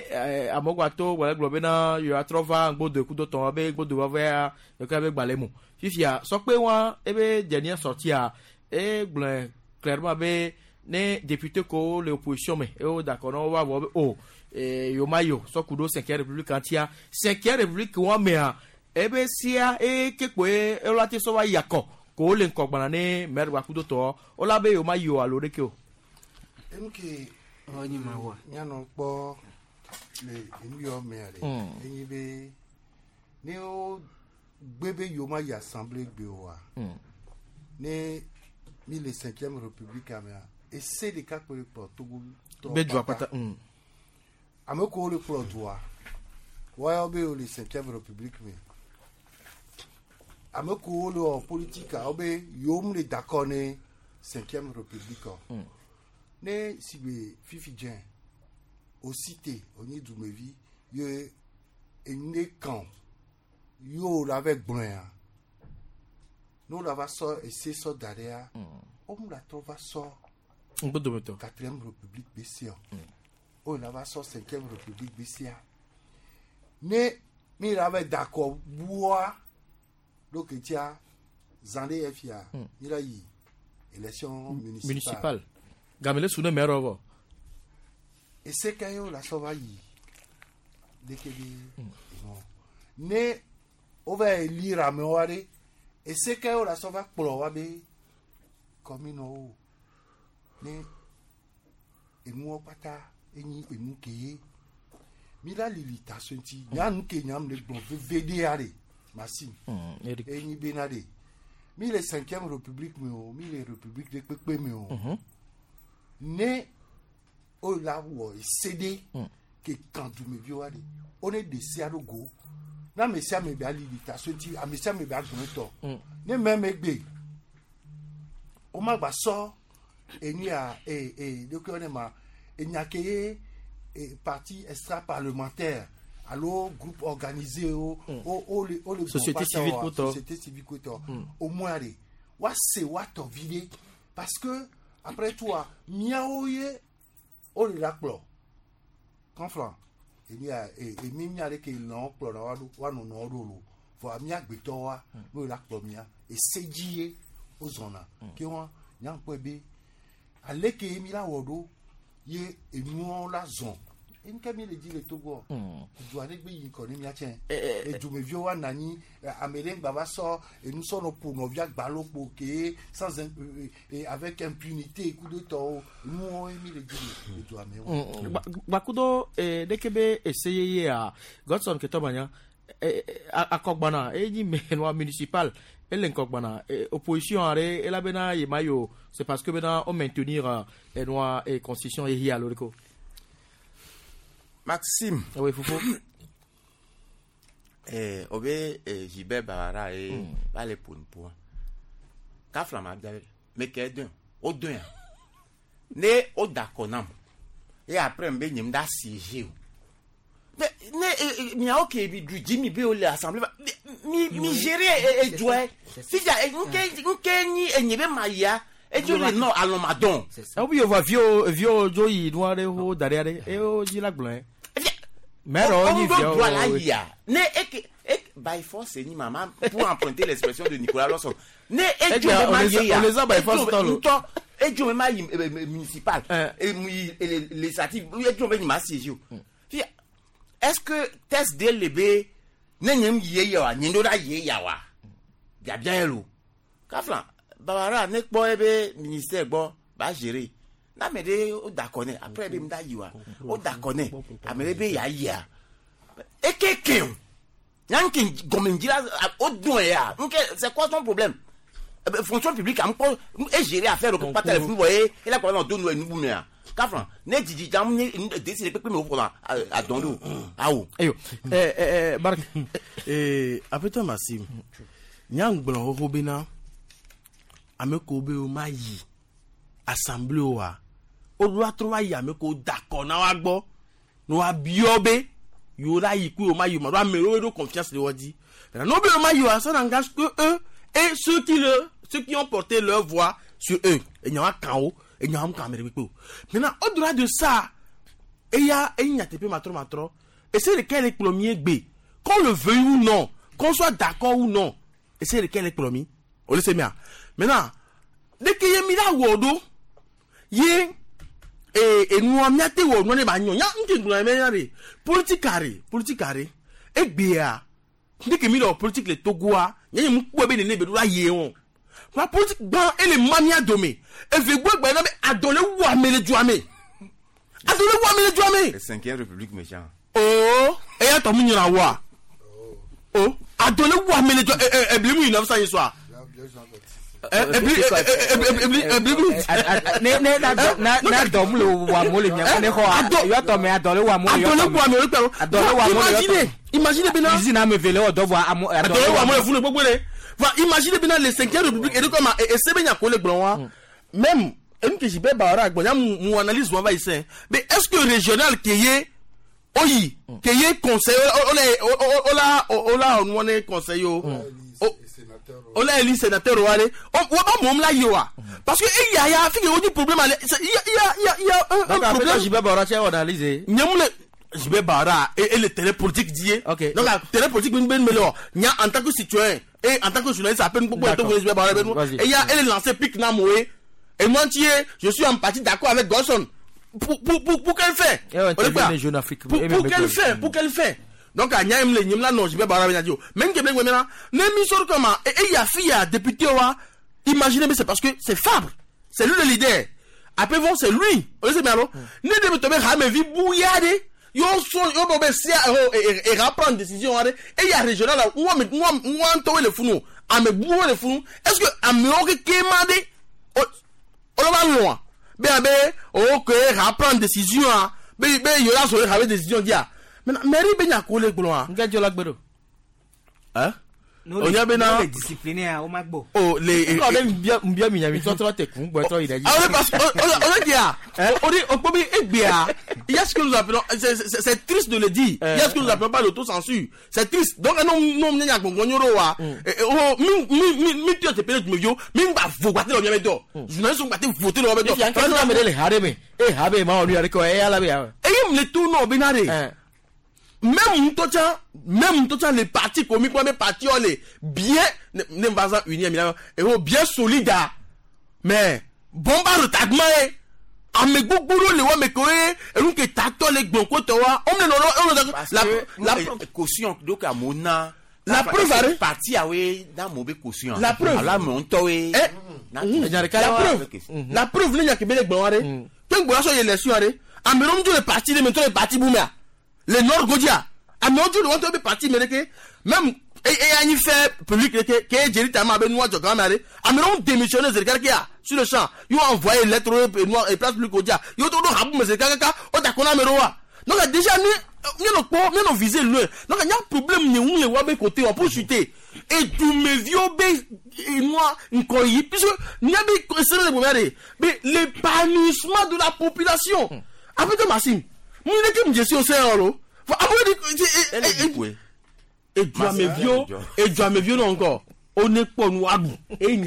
amogwato wala gblɔ bena yo atrɔ va ŋgbodo kudo tɔn be ŋgbodo va ya yoka be gbalẽ mo fifia sɔkpe wa ebe dernière sortie a e gblɔe clairement be ne député ko le opposition me e wo d'accord na wo va vɔ be o yo ma yo sɔkudo cinquième république ŋutia cinquième république wa mea ebe sia e kekpo e la te sɔ va yakɔ ko le ŋkɔgbana ne maire wa kudo tɔ o la be yo ma yo alo ɖeke o. Enuke mianɔ kpɔ le enu yɔ mea ɖe enyi be ne wo gbe be yewo ma yi assemblée gbe oa ne mi le cinquième république mea ese ɖeka kpe le kplɔ Togo tɔ be dua kpata ame kewo le kplɔ dua woayɔ be wo le cinquième république me ame kewo le wɔ politique wo be yewo mu le d'accord ne cinquième république ne sigbe fifi dze osite onye dumevi ye ene kan yo la ve gblɔa n'o la va sɔ ese sɔ da ɖea o mu la trɔ va sɔ ŋgbodometɔ quatrième république be sia o la va sɔ cinquième république be sia ne mi la ve dakɔ bua lókè tia zan ɖe efia mi la yi élection municipale. Municipale. Gamele sunu mɛrɔ vɔ. Ese ka ye o la sɔ va yi leke bi non ne o va élire amewo aɖe ese ka ye o la sɔ va kplɔ wa be commune wo ne enuwo kpata enyi enu ke ye mi la lili ta so ŋuti nyanu ke nyam le gblɔ veve ɖe aɖe masi enyi bena ɖe mi le cinquième république me o mi le république ɖe kpekpe me o. Ne o la wɔ ese ɖe ke kan dumeviwo wa ɖe o ne ɖe sia ɖo go ne ame sia ame be alili ta so ŋuti ame sia ame be agblɔ tɔ ne mɛ megbe o ma gba sɔ enu ya ee ee ɖokui ne ma enya ke ye e parti extra parlementaire alo groupe organisé o o o le o le société civile kotɔ société civile kotɔ au moins ɖe wa se wa tɔ vi ɖe parce que après toi miawo ye o le la kplɔ Kɔnflan emi a emi mia ɖe ke lɔn kplɔ na wa ɖo wa nɔ nɔ ɖo lo vɔa mia gbetɔ wa n'o la kplɔ mia ese dzi ye wo zɔna ke wa nyankpɔe be ale ke mi la wɔ ɖo ye enuwo la zɔn nke mi le dzi le Togo du aɖe gbe yi kɔ ne mia tsɛ edumeviwo wa na anyi ame ɖe ŋgba va sɔ enusɔnɔ ƒo nɔvia gbalokpo ke sans avec impunité kudo tɔwo nuwo mi le dzi le edua me wo. Gbakudo ɖeke be ese yeyea Godson Ketɔmanya akɔgbana enyi me nua municipal ele ŋkɔgbana opposition aɖe elabena yema yo c'est parce que bena wo maintenir enua constitution yeye alo ɖe ko. Maxime. Oui, Fofo. Eh, obe eh, Gilbert Bawara e mm. va le pon Kafla ma bia me ke dun o dun ya. Ne o d'accord nam. Et après mbe nyim da siéger o. Mais ne mi a OK bi du Jimmy be o le assemblée mi mi gérer e joie. Si ja nke nke ni enye be ma ya. Et tu le non allons madon. E bi yo va vio vio joyi noire ho dare e o ji la gbon. Mais on y doit la ya. Ne ek ek by force ni maman pour emprunter l'expression de Nicolas Lawson. Ne et tu on les a by force dans le et tu même municipal et législatif et tu même ma siège. Est-ce que test D L B ne nyem ye ya wa nyindo da ye ya wa. Bia bien lo. Kaflan Bawara ne kpɔ ebe ministère gbɔ ba gérer. Na me de o d'accord après be mda yiwa. O d'accord ame be ya ya. E keke o. Nyanki gomenjira o dun ya. Nke c'est quoi ton problème? Fonction publique am ko e gérer affaire au pas téléphone voyez et la quoi dans deux nous nous mais. Kafran ne didi jam ne décider pepe me o a dondo. Awo. Ayo. Eh eh Bark eh apeto Maxime. Nyang gbon ho bena. Ame ko be o ma yi assemblée wa o do atro yi ame ko d'accord na wa gbo no wa bio be yo la yi ku o ma yi ma do ame ro do confiance le wodi no be o ma yi wa ça n'engage que eux et ceux qui le ceux qui ont porté leur voix sur eux et nya wa kan o et nya wa kan me pe o maintenant au-delà de ça et ya et nya tepe matro matro et c'est lequel est premier B qu'on le veuille ou non qu'on soit d'accord ou non et c'est lequel est premier on le sait bien. Maintenant, dès que y'a mis la wodo, yé et et nous am yate wo no ne ba nyo nya nti ngula me ya re politique carré politique carré e gbea dès que mi lo politique le Togoa nya mu po be ne ne be do la ye won la politique ban et le mania domé e ve gbo gbe na be adole wo amele ju ame adole wo amele ju ame la cinquième république méchant oh e ya to mu nyira wa oh adole wo amele ju e e bi mu mille neuf cent soir ne ne na na na dɔm le wa mo le mia ne xɔ yɔ tɔmɛ adɔ le wa mo le adɔ le wa mo le kpɛ adɔ le wa mo le imaginez imaginez bena usine ame vele wɔ dɔ vɔ amo adɔ le wa mo le funu gbogbo le va imaginez bena le cinquième république et de comme et sebe nya ko le gblɔ wa même enu ke Gilbert Bawara gbɔ nya mu analyse wa va ici mais est-ce que régional ke ye oyi ke ye conseil o la o la o la o ne conseil o on a élu sénateur o ale on va mom la yoa parce que il y a il y a fi o problème il y a il y a il y a un problème Gilbert Bawara tu as analysé nyamule Gilbert Bawara et le terrain politique dit OK donc la terrain politique ben ben melo nya en tant que citoyen et en tant que journaliste à peine beaucoup to Gilbert Bawara ben et il y a elle lancé pic na moé et moi je suis en partie d'accord avec Godson pour pour pour pour qu'elle fait pour pour qu'elle fait pour qu'elle fait donc à nyam le nyam la non je vais barrer bien dire même que ben là même mi sort comment et il y a fille à député wa imaginez mais c'est parce que c'est Fabre c'est lui le leader après bon c'est lui on sait bien alors ne de tomber ramé vi bouillade yo so yo bon ben si et et reprendre décision et il y a régional là où moi moi to le funu a me bou le funu est-ce que a me o ke mandé on va loin ben ben OK reprendre décision ben ben yo la so reprendre décision dia maintenant mairie ben ya ko le gbon nga jola gbero hein on y a ben les disciplinaires au magbo oh les on même bien bien miami toi toi t'es con toi il a dit ah oui parce que on dit on dit on peut bien il y a ce que nous appelons c'est c'est triste de le dire il y a ce que nous appelons pas l'autocensure c'est triste donc non non nya gbongbonyoro wa oh mi mi mi tu te pele me yo mi ba vo gba te lo mi do journaliste gba te voter lo mi do fi an ka me le hare me e habe ma onu are ko e ala be e Comme les tournois au Bénaré. Même ntotsa, même ntotsa les partis comme quoi mes partis ont les bien ne pas unis et bien solide mais bomba retardement ame gbogbo le wa me ko e enu ke tato le gbon ko to wa o me no no la la caution donc amona la preuve arrêt parti awe na mo be caution la preuve ala mo nto we la preuve la preuve le nya ke be le gbon wa re pe gbon so élection arrêt ame ro le parti le me to le parti boumia le nord godia ame o le want be parti me ke même et et ani fait public que que Jerry Tama be noa joga mare ame ro démissionner zerka kia sur le champ ils ont envoyé lettre noir et place publique godia yo to do habu me zerka ka o ta kona me roa donc déjà ni ni no po ni no viser loin donc il y a problème ni où le wa be côté on pour chuter et tout mes vieux be moi nkoyi puisque n'y a be c'est le problème mais l'épanouissement de la population après de Maxime moi ne ke me suis au sein et tu as mes vieux et tu as mes vieux encore on est pas nous abou et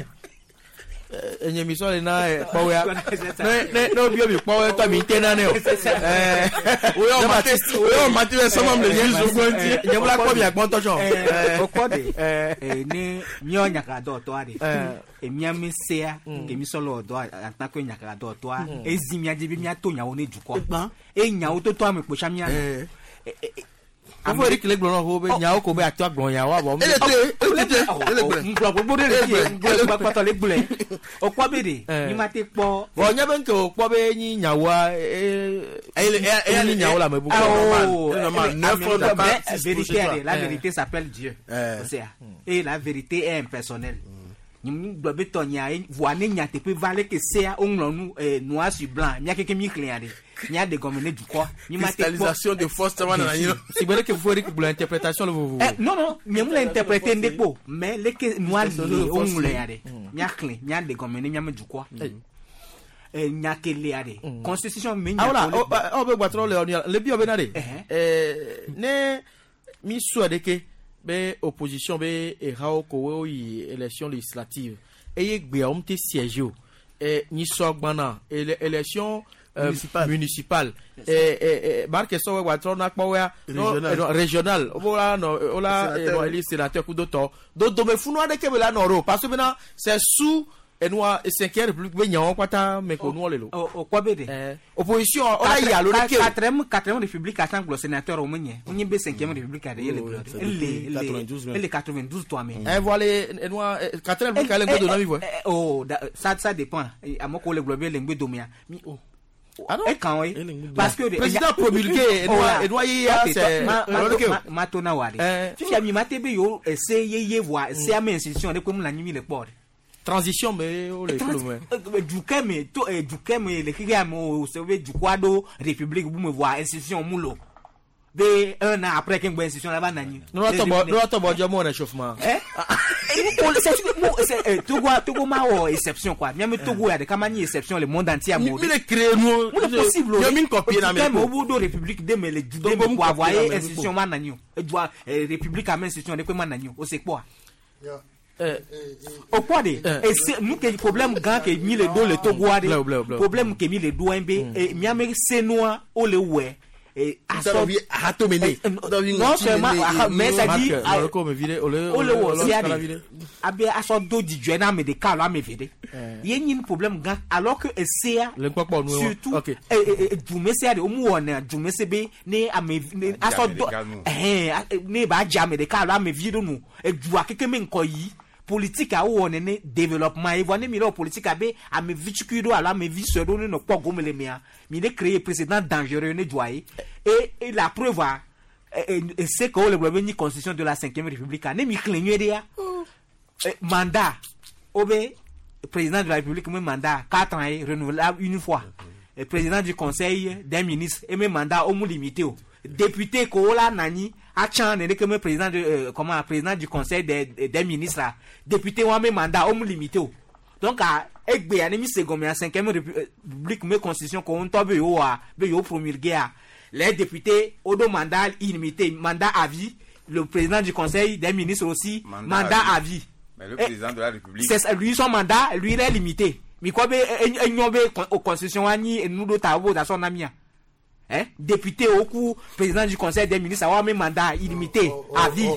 enye mi sɔle na kpɔwea ne ne ne obi obi kpɔwɛ tɔ mi te na ne o ɛɛ oyɔ mate oyɔ mate bɛ sɔmɔ mi le zuzu gbɔnti nye bla kpɔ mi agbɔntɔ sɔn. O kɔ de ne miɔ nyaka dɔtɔ de emia mi sea kemi sɔlɔ dɔ en tant que nyaka dɔtɔ ezi mia dzi be mia to nyawo ne dukɔ e nyawo toto ame kposa mia. Afɔ Eric le gblɔ na wo be nyawo ko be ato agblɔ nyawo abɔ. Ele te ele te ele gblɔ. Ŋgblɔ gbogbo ɖe le fie ŋgblɔ kpɔtɔ le gblɔe. O kpɔ be de mi ma te kpɔ. Vɔ nye be nke o kpɔ be nyi nyawoa ee ee nyi nyawo le ame bubu. Oh vérité la vérité s'appelle Dieu. Et la vérité est impersonnelle. Gblɔ be tɔ nya voa ne nyateƒe va leke sea woŋlɔ nu noir sur blanc mía keke mi xlẽa ɖe mía ɖe gɔme ne dukɔ. Cristallisation de force tama nana yi. Si gbe leke fo Eric gblɔ interprétation le vovovo. Non non nye mu le interpréter ŋɖe kpo mais leke noir le woŋlɔ ya ɖe mía xlẽ mía ɖe gɔme ne míame dukɔ. Nya kelea ɖe constitution me nya. Awola ɔ be gbatrɔ le ɔnu le bi ɔ be na ɖe. Ne mi sɔe ɖeke. Be opposition be ehawo ko wo yi élection législative eye gbea wo te siège o e nyisɔ gbana élection municipale e barke sɔ wɛ gbatrɔ na kpɔwɛa régional wo la nɔ wo la nɔ eli sénateur kudo tɔ dodome funu aɖeke be la nɔ ɖo parce que bena c'est sous enua cinquième république be nyawo kpata me ko nuwo le lo. O kɔ be de. Opposition o la yi alo ɖeke o. Quatrième quatrième république asan gblɔ sénateur o me nye o nye be cinquième république aɖe ye le gblɔ de ele ele ele quatre-vingt-douze tɔ ame. Ɛ voilà enua quatrième république ale ŋgbe do na mi vɔ. Oh ça ça dépend ame ko le gblɔ be le ŋgbe domea mi o. E kan ye parce que président promulgué enua enua ye ya c'est ma to na wa de fifia mi ma te be yewo ese yeye voa ese ame institution ɖe koe mu le anyi mi le kpɔ de. Transition mais o le kolo dukɛ me to dukɛ me le xixia me o se be dukɔ aɖo république bu me voa institution mu lo be un an après ke ŋgbɛ institution la va na anyi. N'o tɔ bɔ jɔ mo réchauffement. Ɛ c'est Togo Togo ma wɔ exception quoi miame Togo ya ɖeka ma nyi exception le monde entier amewo. Mi le créer nu. Mu le possible o. Mi copier na me. Dukɛ me o b'o do république de me le du de me quoi voa ye institution ma na anyi o edua république ame institution ɖe koe ma na anyi o o se kpɔa. O kpɔ de ese nu ke problème gã ke mi le do le Togoa de problème ke mi le do be miame senua o le wɛ non seulement mais ça dit o le wɔ sia de abe asɔ do dzidzɔe na ame ɖeka alo ame eve ɖe ye nyi problème gã alors que esea surtout dumesea de wo mu wɔna dumese be ne ame asɔ do ɛhɛn ne ba dze ame ɖeka alo ame vi ɖo nu edua keke me ŋkɔ yi. Politique a wo nene développement et voyez mi politique abe ame vi tukui do ala ame vi sue do ne no kpɔ gome le mea mi ne créer précédent dangereux ne doye et et la preuve a c'est que le gblɔ ni constitution de la cinquième république ne mi xlẽ nyuie ɖe ya mandat obe président de la république me mandat quatre ans et renouvelable une fois et président du conseil des ministres et me mandat au mu limité o député ko la nani atchan ne que président de euh, comment président du conseil des des ministres député wa me mandat au limité donc à egbe ani mi seconde en cinquième république me constitution ko on tobe yo wa be yo promulgué a les députés au do mandat illimité mandat à vie le président du conseil des ministres aussi mandat, mandat à vie mais le président de la république c'est lui son mandat lui il est limité mi ko be enyo be constitution ani nu do ta wo da son amia Hein? Député au coup, président du conseil des ministres, avoir même mandat illimité, à vie.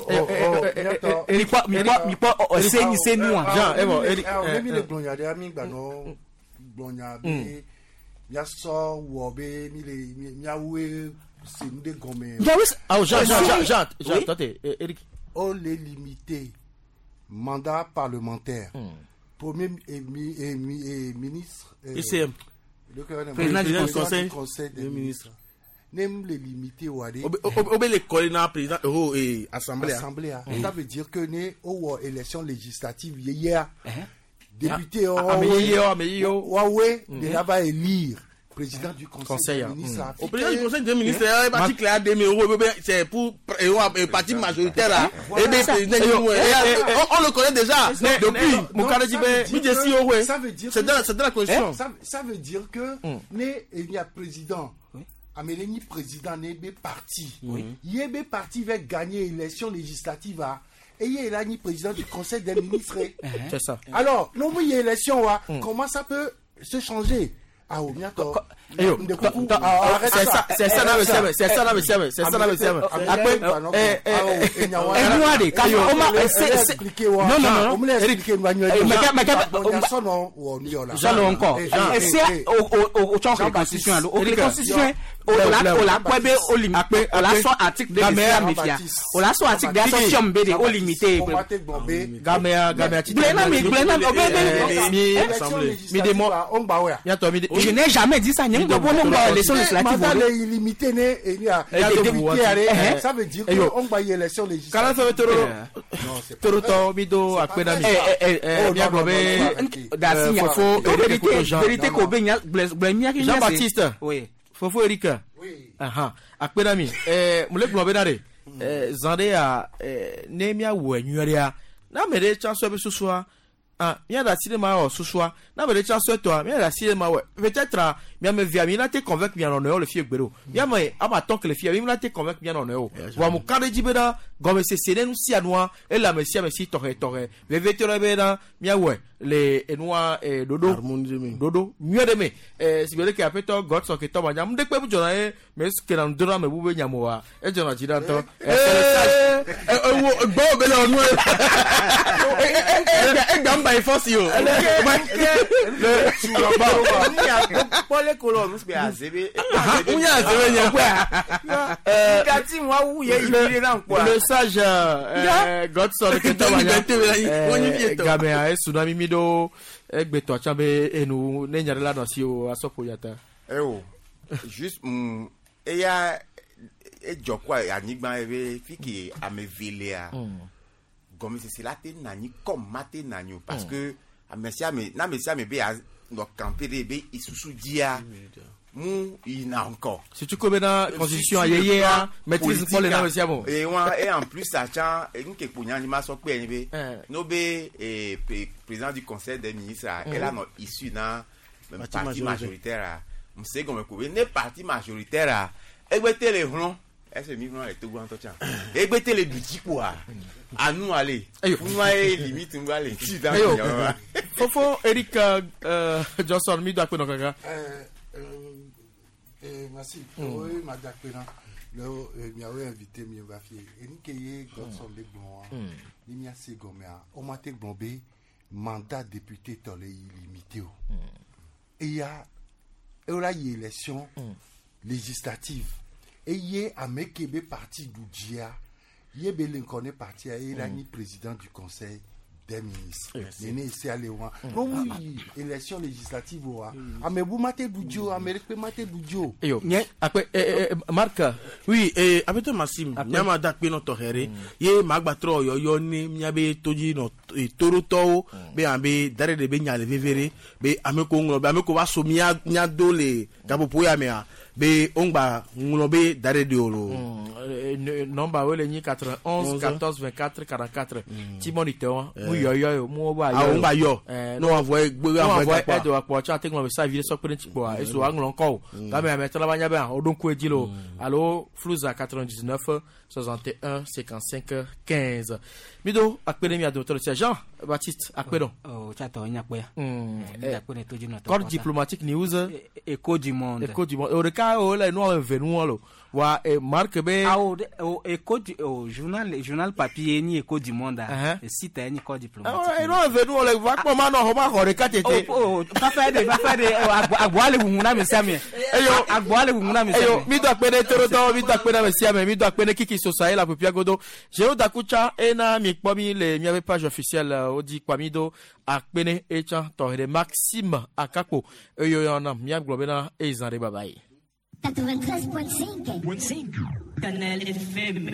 Mi kpɔ, mi kpɔ, mi kpɔ, se ni se nu. Jean, eh bon, Eric. Mi le gblɔnya ɖe, mi gbanɔ gblɔnya be miasɔ wɔ be mi le miawoe se nu ɖe gɔme. Ah, Jean, Jean, Jean, Jean, Jean, attendez, Eric. On les limité mandat parlementaire. Premier et, et, et ministre. I C M. Le président du conseil, du conseil des ministres. N'aime les limiter ou aller. Obé les collègues président oh et assemblée. Assemblée. Ça veut dire que né au élection législative hier député oh ouais de là-bas élire président du conseil des ministres. Au président du conseil des ministres, parti clair deux mille euros, c'est pour parti majoritaire là. Et bien président on le connaît déjà depuis. Ça veut dire c'est dans c'est dans la constitution. Ça veut dire que né il y a président. Améléni président né B parti. Yébé parti va gagner élection législative et il est ni président du conseil des ministres. C'est ça. Alors, non mais élection comment ça peut se changer? Ah, bientôt. C'est ça, c'est ça, c'est ça, c'est ça, c'est ça. Après, non, non, non. Jean encore. C'est au au constitution, au constitution, au la au la kwebe au limité, au la so article de la mafia, au la so article de la B D au limité. Gamea, gamea, mi démo, je n'ai jamais dit ça. Élection législative. Mandat illimité né et il y a député ça veut dire que on va y élection législative. Toro mido akpenami. Fofo vérité ko be nya Jean Baptiste. Oui. Fofo Eric. Oui. Aha. Akpenami. Eh mule globe na de. Eh zande a ne mia wo enyu ya. Na mere chanso be susua. Ah, mia da cinéma o susua. Na mere chanso toi, mia da cinéma ouais. Peut-être mia me via, mi na te convaincre mia non le fie gbero. Mia me ama tant que le fie, mi na te convaincre mia non o. Wa mu ka de jibeda, gome se sene nu si anua, e la me si me si tore tore. Veve te le beda, mia ouais, le enua e dodo. Dodo, mieux de me. Eh si bele ke apeto Godson ke to manya, mde pe bu jona e, me ke na ndora me bu be nyamo wa. E jona jida to. Eh eh wo gbo be le onu. Eh eh gamba e force yo. Le colon nous be azebe. Unya azebe nya. Kati mwa wuye ibire na nkwa. Le sage Godson ke to manya. Gamea e tsunami mido egbeto achambe enu ne nyare la no si o asopo yata. Eh o. Juste mm eya e jokwa anigba ebe fiki amevelea. Comme c'est là te nani comme maté nani parce que amesia me na mesia me be no camper be isusu dia mu ina encore. Si tu connais la constitution ayeye maîtrise pour les na mesia bon. Et et en plus ça tient une ke punya ni ma so pe ni be no be président du conseil des ministres elle a no issu na parti majoritaire m'se comme ko ne parti majoritaire egbete le hlon est-ce mi hlon le togo entretien egbete le duti quoi à nous aller. Nous limite nous aller. Fofo Eric euh, Johnson mi do akpe no kaka. Euh euh merci. Oui, madame Akpena. Le mi a invité mi va fier. Et ni keye Godson le bon. Ni mi a se gomea. O ma te gbombe mandat député tolé illimité. Et il y a et là il y a élection législative. Et il y a amekebe parti d'Oudjia. Yébé Lincoln parti à il a ni président du conseil des ministres. Néné c'est allé loin. Non oui, élection législative wa. Ah mais vous matez Boudjo, Amérique matez Boudjo. Yo. Après Marc. Oui, eh après toi Maxime, nyama dakpe no tohere. Ye magba tro yo yo ni nyabe toji no toro be ambe dare de be nyale vevere be ameko nglo be ameko wa so mia nya dole gapopo ya mea. Be ongba nglobe dare de olo. Nomba wele ni quatre-vingt-onze quatorze vingt-quatre quarante-quatre. Timon ito mu yo yo mu ba yo. Ah ongba yo. No envoyer gbe envoyer aide wa po cha te nglo sa vile so print po e so anglo nko. Ka me me tala banya ba odon ku ejilo. Allo Flouza quatre-vingt-dix-neuf soixante et un cinquante-cinq quinze. Mido akpene mi adotor Jean Baptiste akpedon. Oh cha to nya pe. Corps diplomatique news. Écho du monde. Écho du monde. ɖeka o le nua eve nua lo wa e marque be. Awo de o Écho du o journal journal papier ni Écho du Monde a site ni corps diplomatique. Ɛ nua eve nua le va kpɔ ma nɔ xɔ ma xɔ ɖeka tete. O o fafa de fafa de agboa le ʋuʋu na mi sia mi. Eyo agboa le ʋuʋu na mi sia mi. Eyo mi do akpe ne torotɔ mi do akpe na mi sia mi mi do akpe ne Kiki Sosa ye la pepia godo. Zéro Dakutsa ena mi kpɔ mi le miabe page officielle wodzi kpa mi do akpe ne etsã tɔxɛ ɖe Maxime Akakpo eyo yɔna miagblɔ bena eza ɖe baba yi. quatre-vingt-treize point cinq. Canal F M.